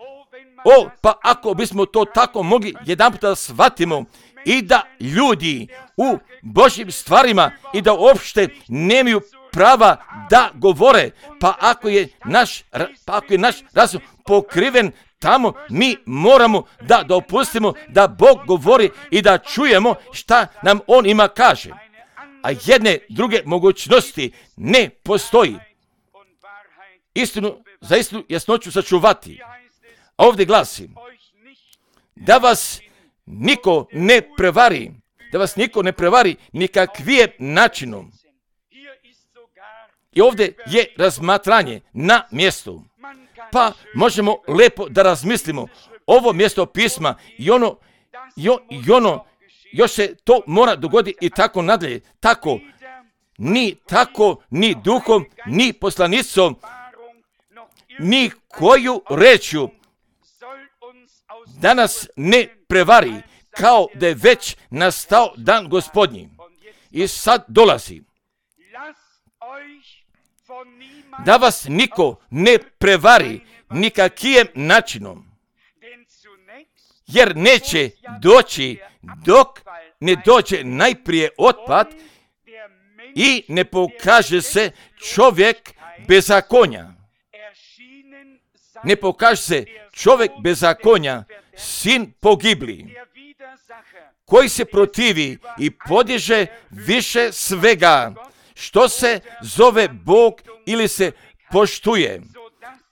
Speaker 1: O, pa ako bismo to tako mogli jedanput da shvatimo i da ljudi u Božjim stvarima i da uopšte nemaju prava da govore, pa ako je naš, pa ako je naš razum pokriven tamo, mi moramo da dopustimo da Bog govori i da čujemo šta nam On ima kaže. A jedne druge mogućnosti ne postoji. Istinu, za istinu jasnoću sačuvati. A ovdje glasi, da vas niko ne prevari, da vas niko ne prevari nikakvim načinom. I ovdje je razmatranje na mjestu. Pa možemo lepo da razmislimo ovo mjesto pisma i ono, i ono, i ono još se to mora dogoditi i tako nadalje. Tako, ni tako, ni duhom, ni poslanicom, ni koju rečju da nas ne prevari, kao da je već nastao dan Gospodnji. I sad dolazi. Da vas niko ne prevari nikakvim načinom, jer neće doći dok ne dođe najprije otpad i ne pokaže se čovjek bezakonja. Ne pokaže se čovjek bezakonja, sin pogibli, koji se protivi i podiže više svega što se zove Bog ili se poštuje,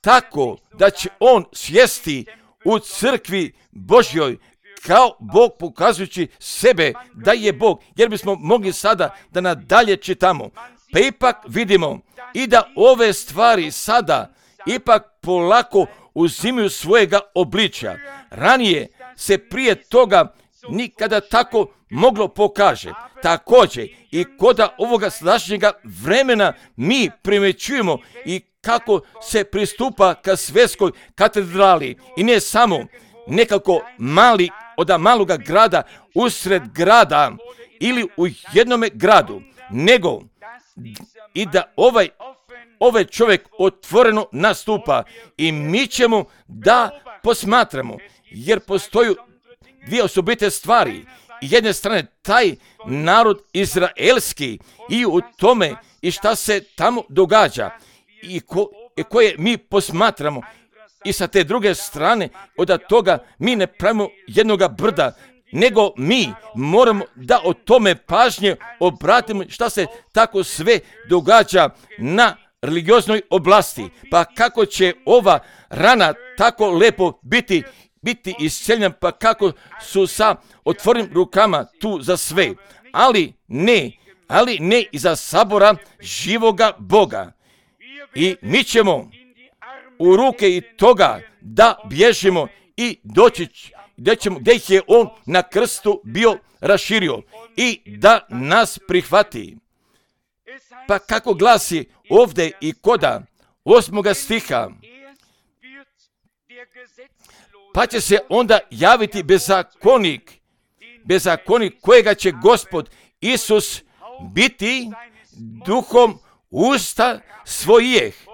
Speaker 1: tako da će on sjesti u crkvi Božjoj kao Bog, pokazujući sebe da je Bog. Jer bismo mogli sada da nadalje čitamo, pa ipak vidimo i da ove stvari sada ipak polako uzimaju svojega obličja. Ranije se prije toga nikada tako moglo pokaže. Također i koda ovoga sadašnjega vremena mi primjećujemo i kako se pristupa ka svjetskoj katedrali i ne samo nekako mali od maloga grada usred grada ili u jednome gradu, nego i da ovaj ovaj čovjek otvoreno nastupa i mi ćemo da posmatramo, jer postoju dvije osobite stvari. Jedne strane taj narod izraelski i u tome i šta se tamo događa i, ko, i koje mi posmatramo. I sa te druge strane, od toga mi ne pravimo jednoga brda, nego mi moramo da o tome pažnje obratimo šta se tako sve događa na religioznoj oblasti. Pa kako će ova rana tako lepo biti, biti isceljena, pa kako su sa otvorenim rukama tu za sve. Ali ne, ali ne i za sabora živoga Boga. I mi ćemo u ruke i toga da bježimo i doći gdje, ćemo, gdje ih je on na krstu bio raširio i da nas prihvati. Pa kako glasi ovdje i koda osmoga stiha, pa će se onda javiti bezakonik, bezakonik kojega će Gospod Isus biti duhom usta svojih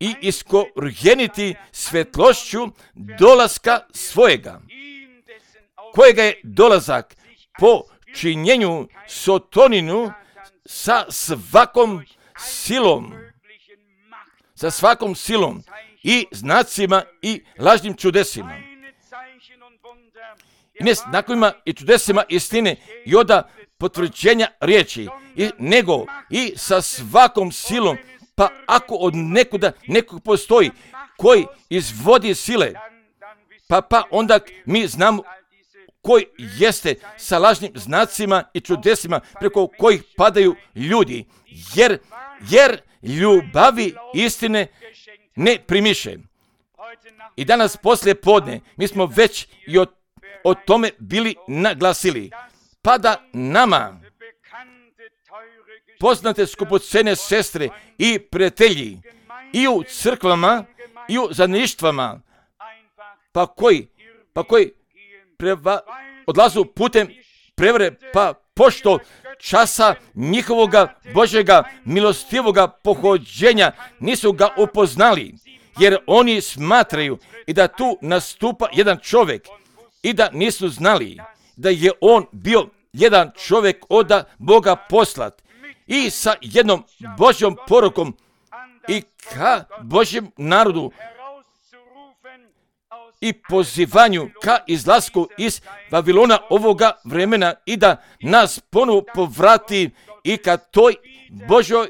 Speaker 1: i iskorijeniti svjetlošću dolaska svojega, kojega je dolazak po činjenju sotoninu sa svakom silom, sa svakom silom i znacima i lažnim čudesima. I ne znakovima i čudesima istine i oda potvrđenja riječi, i, nego i sa svakom silom. Pa ako od nekuda nekog postoji koji izvodi sile, pa, pa onda mi znamo koji jeste sa lažnim znacima i čudesima preko kojih padaju ljudi, jer, jer ljubavi istine ne primiše. I danas poslije podne mi smo već i o, o tome bili naglasili, pa da nama poznate skupocene sestre i prijatelji i u crkvama i u zajedništvama, pa koji, pa koji preva, odlazu putem prevare, pa pošto časa njihovoga Božjega milostivoga pohođenja nisu ga upoznali, jer oni smatraju i da tu nastupa jedan čovjek i da nisu znali da je on bio jedan čovjek od Boga poslat i sa jednom Božjom porukom i ka Božjem narodu i pozivanju ka izlasku iz Vavilona ovoga vremena i da nas ponovo povrati i ka toj Božjoj,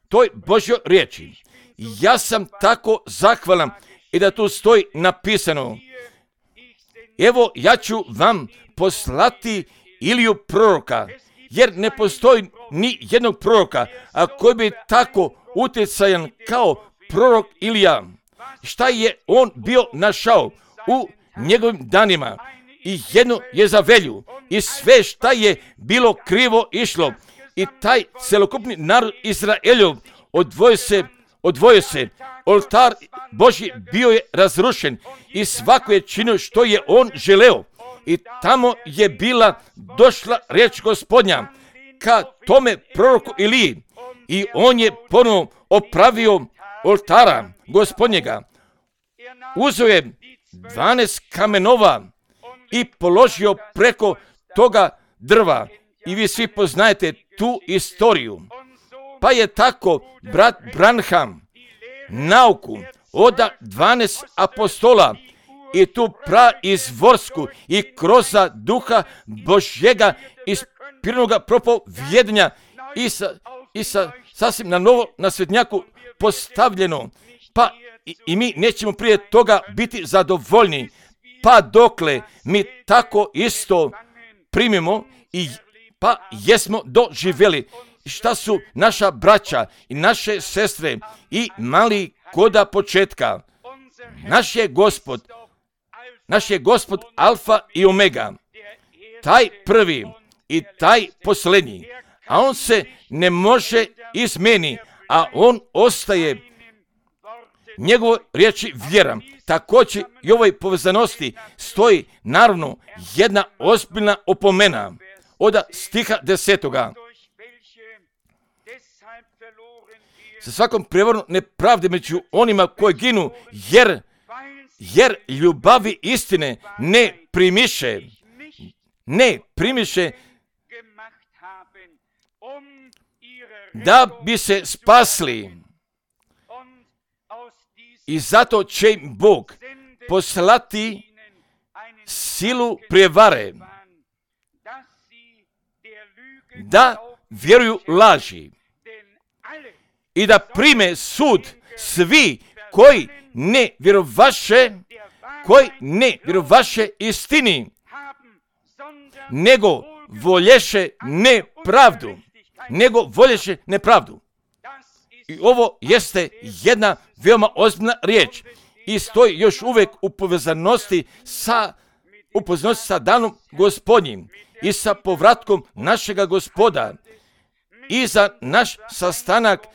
Speaker 1: toj Božjoj riječi. Ja sam tako zahvalan i da tu stoji napisano, evo ja ću vam poslati Iliju proroka, jer ne postoji ni jednog proroka, a koji bi tako utjecajan kao prorok Ilija. Šta je on bio našao u njegovim danima? I jedno je za velju i sve šta je bilo krivo išlo. I taj celokupni narod Izraeljov odvojio se, odvojio se. Oltar Božji bio je razrušen i svako je činio što je on želeo. I tamo je bila došla riječ Gospodnja ka tome proroku Iliji i on je ponovo opravio oltara Gospodnjega. Uzeo je dvanaest kamenova i položio preko toga drva. I vi svi poznajete tu istoriju. Pa je tako brat Branham nauku od dvanaest apostola i tu praizvorsku i kroz duha Božjega ispiranoga propovjedanja i sa, i sa sasvim na novo na svetnjaku postavljeno, pa i, i mi nećemo prije toga biti zadovoljni, pa dokle mi tako isto primimo i pa jesmo doživjeli šta su naša braća i naše sestre i mali koda početka. Naš je Gospod, naš je Gospod Alfa i Omega, taj prvi i taj posljednji, a on se ne može izmeni, a on ostaje. Njegovo riječi vjeram. Također i ovoj povezanosti stoji naravno jedna ozbiljna opomena od stiha desetoga. Sa svakom prijevarom nepravde među onima koji ginu, jer, jer ljubavi istine ne primiše, ne primiše da bi se spasli. I zato će im Bog poslati silu prijevare, da vjeruju laži i da prime sud svi koji ne vjerovaše, koji ne vjerovaše istini, nego volješe nepravdu, nego volješe nepravdu. I ovo jeste jedna veoma ozbiljna riječ i stoji još uvijek u povezanosti sa, u povezanosti sa danom Gospodnjim i sa povratkom našega Gospoda i za naš sastanak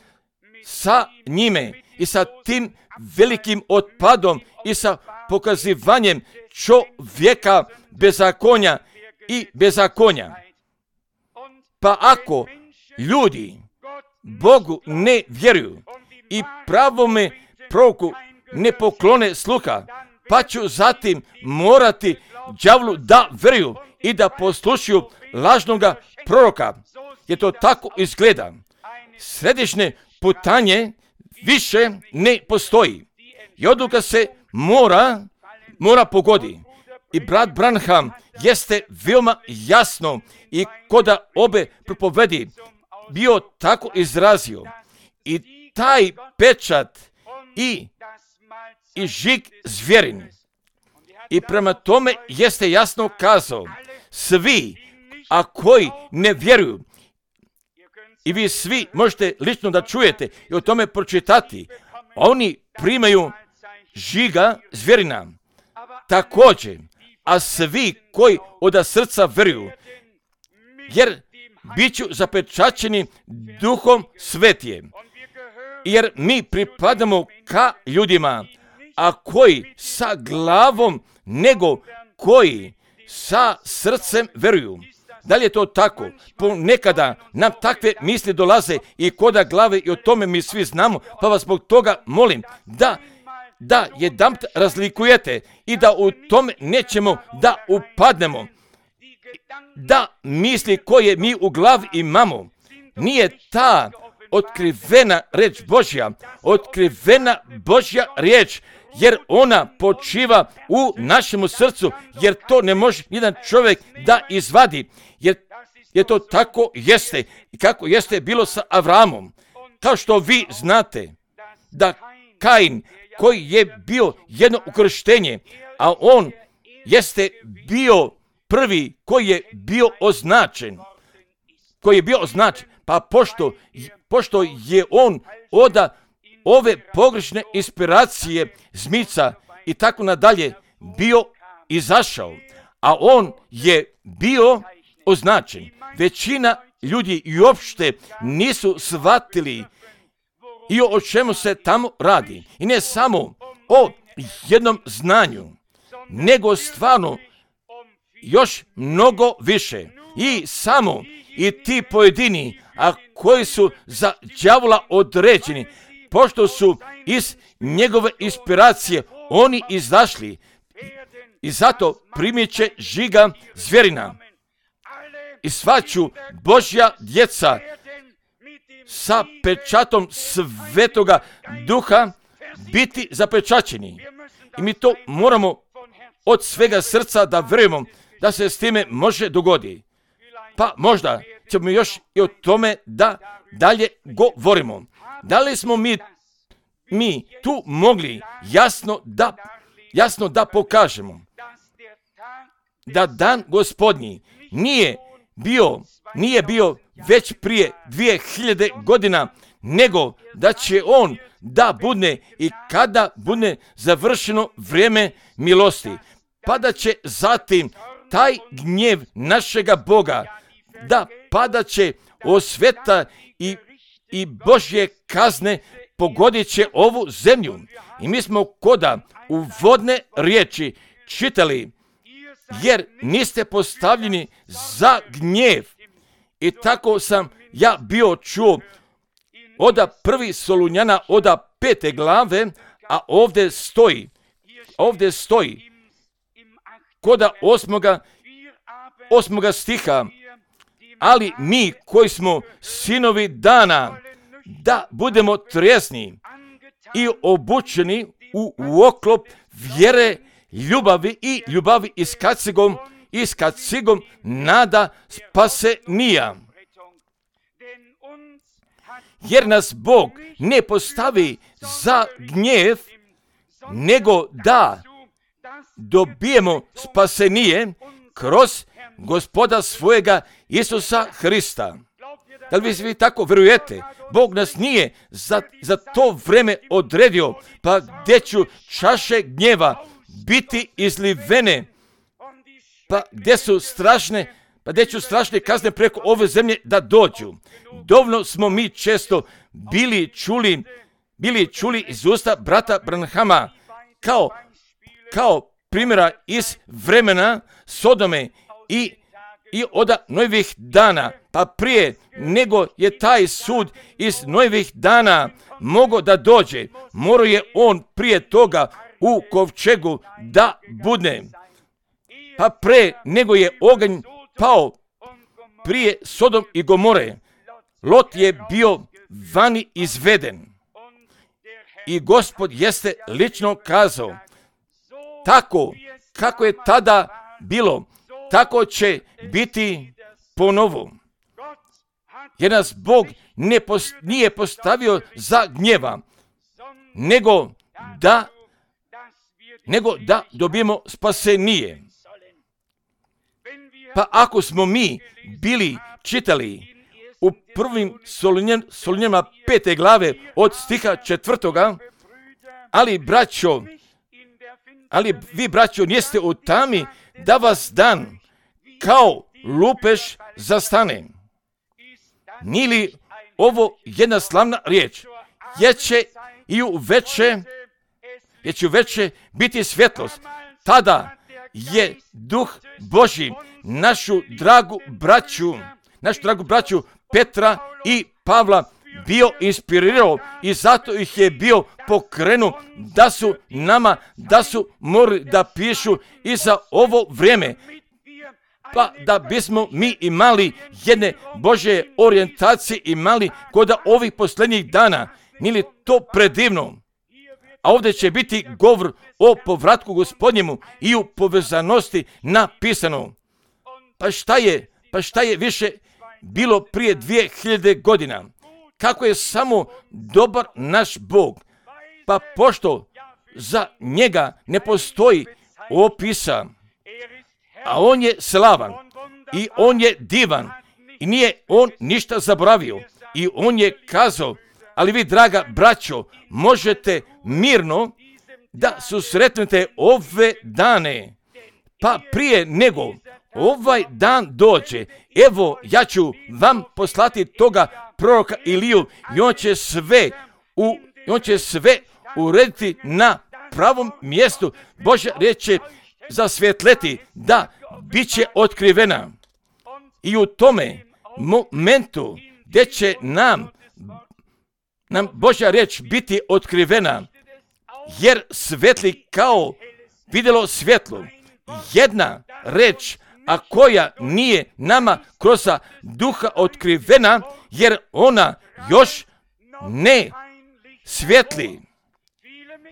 Speaker 1: sa njime i sa tim velikim otpadom i sa pokazivanjem čovjeka bezakonja i bezakonja. Pa ako ljudi Bogu ne vjeruju i pravome proroku ne poklone sluha, pa ću zatim morati đavlu da vjeruju i da poslušaju lažnoga proroka. Jer to tako izgleda. Središnje putanje više ne postoji. I odluka se mora, mora pogodi. I brat Branham jeste veoma jasno i koda obe propovedi bio tako izrazio. I taj pečat i, i žig zvjerin. I prema tome jeste jasno kazao, svi, a koji ne vjeruju, i vi svi možete lično da čujete i o tome pročitati, oni primaju žiga zvjerina. Također, a svi koji od srca vjeruju, jer bit ću zapečaćeni Duhom Svetijem, jer mi pripadamo ka ljudima, a koji sa glavom nego koji sa srcem vjeruju. Da li je to tako? Ponekada nam takve misli dolaze i koda glave i o tome mi svi znamo, pa vas zbog toga molim da, da jedanput razlikujete i da u tome nećemo da upadnemo. Da misli koje mi u glavi imamo nije ta otkrivena riječ Božja, otkrivena Božja riječ, jer ona počiva u našemu srcu, jer to ne može nijedan čovjek da izvadi, jer, jer to tako jeste i kako jeste bilo sa Avramom. Kao što vi znate da Kain, koji je bio jedno ukrštenje, a on jeste bio prvi koji je bio označen, koji je bio označen, pa pošto, pošto je on oda ove pogrešne inspiracije zmica i tako nadalje bio izašao, a on je bio označen. Većina ljudi i uopšte nisu shvatili i o čemu se tamo radi. I ne samo o jednom znanju, nego stvarno još mnogo više. I samo i ti pojedini, a koji su za đavola određeni, pošto su iz njegove inspiracije oni izašli i zato primit će žiga zvjerina. I sva ću Božja djeca sa pečatom Svetoga Duha biti zapečaćeni. I mi to moramo od svega srca da vjerujemo da se s time može dogoditi. Pa možda ćemo još i o tome da dalje govorimo. Da li smo mi, mi tu mogli jasno da, jasno da pokažemo da dan Gospodnji nije bio, nije bio već prije dvije hiljade godina, nego da će on da bude i kada bude završeno vrijeme milosti, pa da će zatim taj gnjev našega Boga da padat će osveta i, i Božje kazne pogodit će ovu zemlju. I mi smo koda u vodne riječi čitali, jer niste postavljeni za gnjev. I tako sam ja bio čuo oda prvi Solunjana, oda pete glave, a ovdje stoji, ovdje stoji, koda osmoga, osmoga stiha, ali mi koji smo sinovi dana, da budemo trijesni i obučeni u, u oklop vjere, ljubavi i ljubavi i s kacigom, i s kacigom nada spasenija. Jer nas Bog ne postavi za gnjev, nego da dobijemo spasenije kroz Gospoda svojega Isusa Hrista. Da li vi tako vjerujete? Bog nas nije za, za to vrijeme odredio, pa gdje ću čaše gnjeva biti izlivene, pa gdje su strašne, pa gdje ću strašne kazne preko ove zemlje da dođu. Dovoljno smo mi često bili čuli, bili čuli iz usta brata Branhama kao, kao primjera iz vremena Sodome i, i od Nojevih dana, pa prije nego je taj sud iz Nojevih dana mogao da dođe, morao je on prije toga u kovčegu da budne. Pa pre nego je oganj pao prije Sodom i Gomore, Lot je bio vani izveden. I Gospod jeste lično kazao, tako kako je tada bilo, tako će biti ponovo. Jer nas Bog ne post, nije postavio za gnjeva, nego da, nego da dobijemo spasenije. Pa ako smo mi bili čitali u prvim Solunjanima pete glave od stiha četvrtoga, ali braćo, ali vi braćo niste u tami da vas dan kao lupež zastane. Nije li ovo jedna slavna riječ? Jer će i u veče, jer će u veče biti svjetlost. Tada je Duh Božji našu dragu braću, našu dragu braću Petra i Pavla bio inspirirao i zato ih je bio pokrenuo da su nama, da su morali da pišu i za ovo vrijeme. Pa da bismo mi imali jedne Božje orijentacije imali kod ovih posljednjih dana. Nije li to predivno? A ovdje će biti govor o povratku Gospodnjemu i u povezanosti napisano. Pa šta je, pa šta je više bilo prije dvije hiljade godina? Kako je samo dobar naš Bog. Pa pošto za njega ne postoji opisa, a on je slavan i on je divan i nije on ništa zaboravio i on je kazao, ali vi draga braćo možete mirno da susretnete ove dane, pa prije nego ovaj dan dođe, evo ja ću vam poslati toga proroka Iliju i on će sve u, on će sve urediti na pravom mjestu. Božja riječ će zasvjetleti da bit će otkrivena. I u tome momentu gdje će nam, nam Božja riječ biti otkrivena, jer svetli kao vidjelo svjetlo. Jedna reč, a koja nije nama kroz duha otkrivena, jer ona još ne svjetli.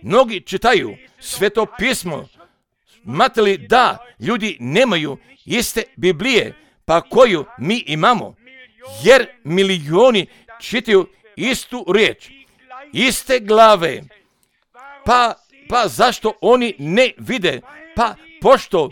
Speaker 1: Mnogi čitaju Sveto pismo, smatrali da ljudi nemaju iste Biblije, pa koju mi imamo. jer milioni čitaju istu riječ, iste glave. Pa, pa zašto oni ne vide? Pa pošto,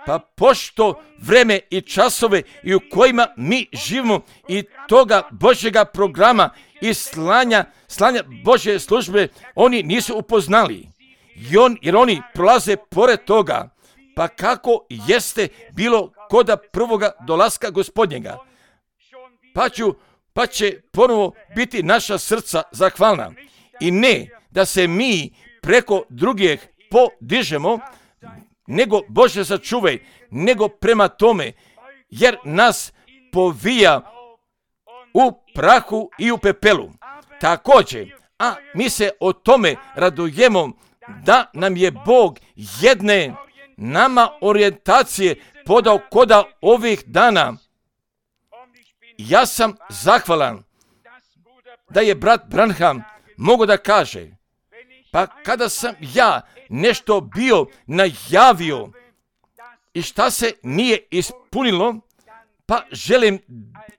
Speaker 1: pa pošto vreme i časove i u kojima mi živimo i toga Božjega programa i slanja, slanja Božje službe, oni nisu upoznali. I on, jer oni prolaze pored toga. Pa kako jeste bilo koda prvoga dolaska Gospodnjega? Pa, ću, pa će ponovo biti naša srca zahvalna. I ne da se mi preko drugih podižemo, nego Bože sačuvaj, nego prema tome, jer nas povija u prahu i u pepelu. Također, a mi se o tome radujemo da nam je Bog jedne nama orijentacije podao koda ovih dana. Ja sam zahvalan da je brat Branham mogu da kaže, pa kada sam ja nešto bio najavio i šta se nije ispunilo, pa želim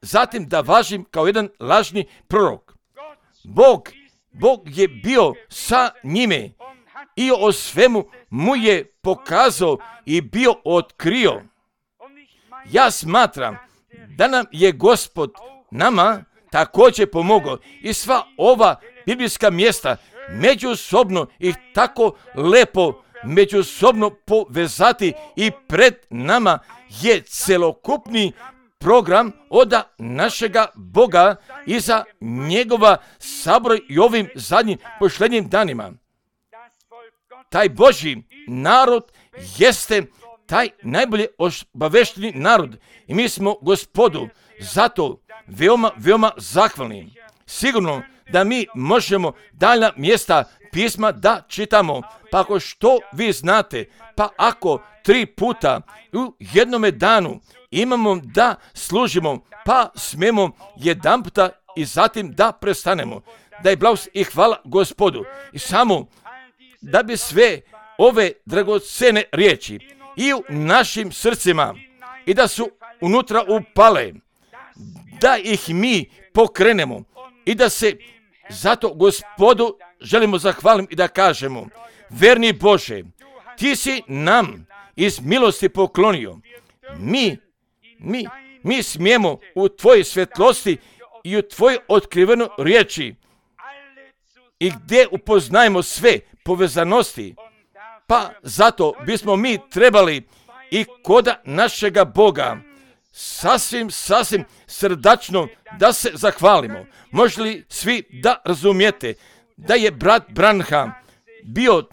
Speaker 1: zatim da važim kao jedan lažni prorok. Bog, Bog je bio sa njime i o svemu mu je pokazao i bio otkrio. Ja smatram da nam je Gospod nama također pomogao i sva ova biblijska mjesta međusobno ih tako lepo međusobno povezati i pred nama je celokupni program od našega Boga i za njegova sabora i ovim zadnjim pošlednjim danima. Taj Božji narod jeste taj najbolje obavešteni narod i mi smo Gospodu zato veoma, veoma zahvalni. Sigurno da mi možemo daljna mjesta pisma da čitamo, pa ako što vi znate, pa ako tri puta u jednome danu imamo da služimo, pa smemo jedan puta i zatim da prestanemo. Da je blagost i hvala Gospodu. I samo da bi sve ove dragocene riječi i u našim srcima i da su unutra upale, da ih mi pokrenemo i da se zato Gospodu želimo zahvaliti i da kažemo, verni Bože, ti si nam iz milosti poklonio. Mi, mi, mi smijemo u tvojoj svjetlosti i u tvojoj otkrivenoj riječi i gdje upoznajemo sve povezanosti, pa zato bismo mi trebali i koda našega Boga sasvim, sasvim srdačno da se zahvalimo. Može li svi da razumijete da je brat Branham bio,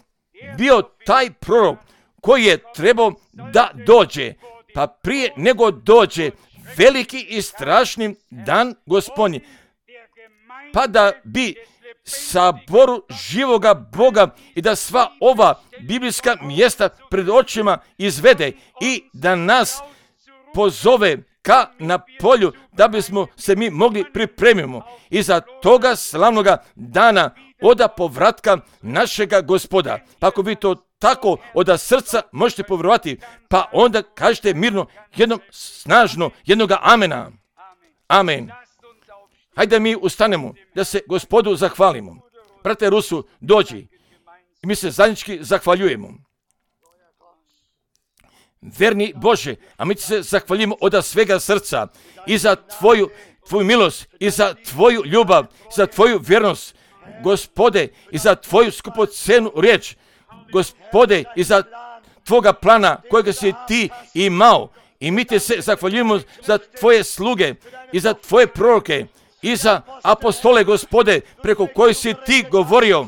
Speaker 1: bio taj prorok koji je trebao da dođe, pa prije nego dođe veliki i strašni dan Gospodnji, pa da bi saboru živoga Boga i da sva ova biblijska mjesta pred očima izvede i da nas pozove ka na polju da bismo se mi mogli pripremimo i za toga slavnoga dana oda povratka našega Gospoda. Pa ako vi to tako od srca možete povjerovati, pa onda kažete mirno jednom snažno jednoga amena. Amen. Hajde mi ustanemo da se Gospodu zahvalimo. Brate Rusu, dođi i mi se zajednički zahvaljujemo. Verni Bože, a mi se zahvaljujemo od svega srca i za tvoju, tvoju milost, i za tvoju ljubav, i za tvoju vjernost, Gospode, i za tvoju skupocenu riječ, Gospode, i za tvoga plana kojega si ti imao. I mi te se zahvaljujemo za tvoje sluge i za tvoje proroke i za apostole, Gospode, preko kojih si ti govorio.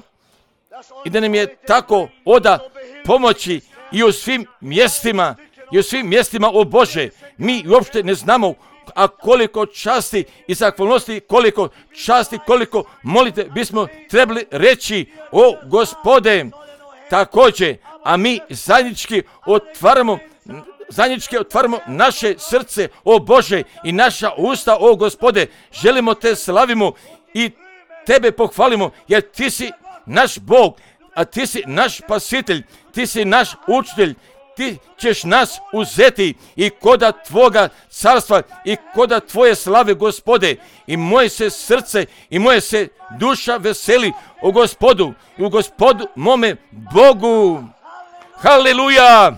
Speaker 1: I da nam je tako oda pomoći i u svim mjestima, i u svim mjestima, o Bože, mi uopšte ne znamo, a koliko časti i zahvalnosti, koliko časti, koliko molite bismo trebali reći, o Gospode, također, a mi zajednički otvaramo, zajednički otvaramo naše srce, o Bože, i naša usta, o Gospode, želimo te slavimo i tebe pohvalimo, jer ti si naš Bog, a ti si naš spasitelj, ti si naš učitelj, ti ćeš nas uzeti i koda tvoga carstva i koda tvoje slave, Gospode. I moje se srce i moje se duša veseli u Gospodu i u Gospodu mome Bogu. Haleluja!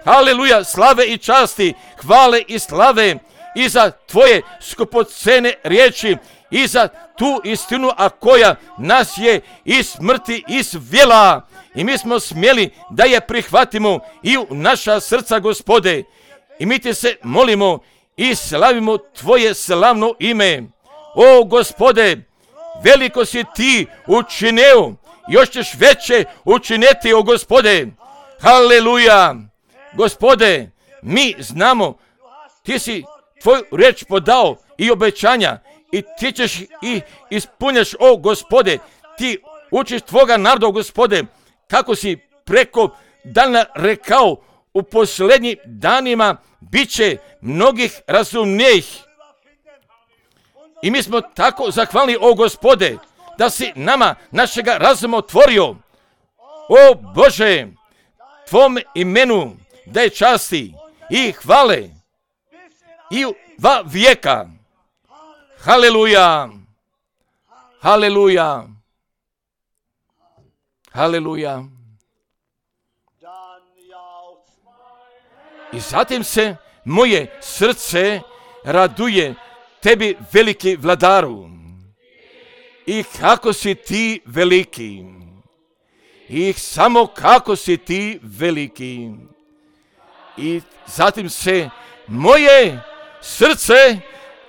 Speaker 1: Haleluja! Slave i časti, hvale i slave i za tvoje skupocene riječi i za tu istinu, a koja nas je iz smrti izvela. I mi smo smjeli da je prihvatimo i u naša srca, Gospode. I mi ti se molimo i slavimo tvoje slavno ime. O Gospode, veliko si ti učinio, još ćeš veće učiniti, o Gospode. Haleluja! Gospode, mi znamo, ti si tvoju riječ podao i obećanja i ti ćeš i ispunjaš, o Gospode. Ti učiš tvoga naroda, Gospode, kako si preko dana rekao, u posljednjim danima bit će mnogih razumnijih. I mi smo tako zahvalni, o Gospode, da si nama našega razuma otvorio. O Bože, tvom imenu da je časti i hvale i u dva vijeka. Haleluja! Haleluja! Haleluja! I zatim se moje srce raduje tebi, veliki vladaru. I kako si ti veliki. I samo kako si ti veliki. I zatim se moje srce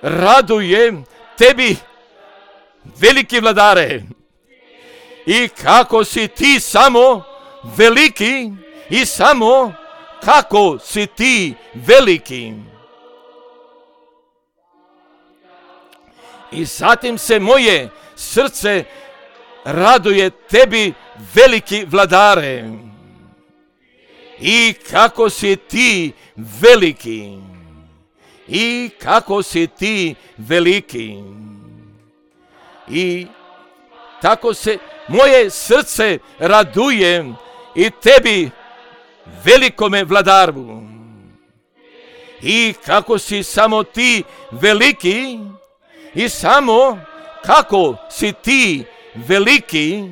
Speaker 1: raduje tebi, veliki vladare. I kako si ti samo veliki i samo kako si ti veliki. I zatim se moje srce raduje tebi, veliki vladare. I kako si ti veliki. I kako si ti veliki. I tako se moje srce raduje i tebi, velikome vladaru. I kako si samo ti veliki i samo kako si ti veliki.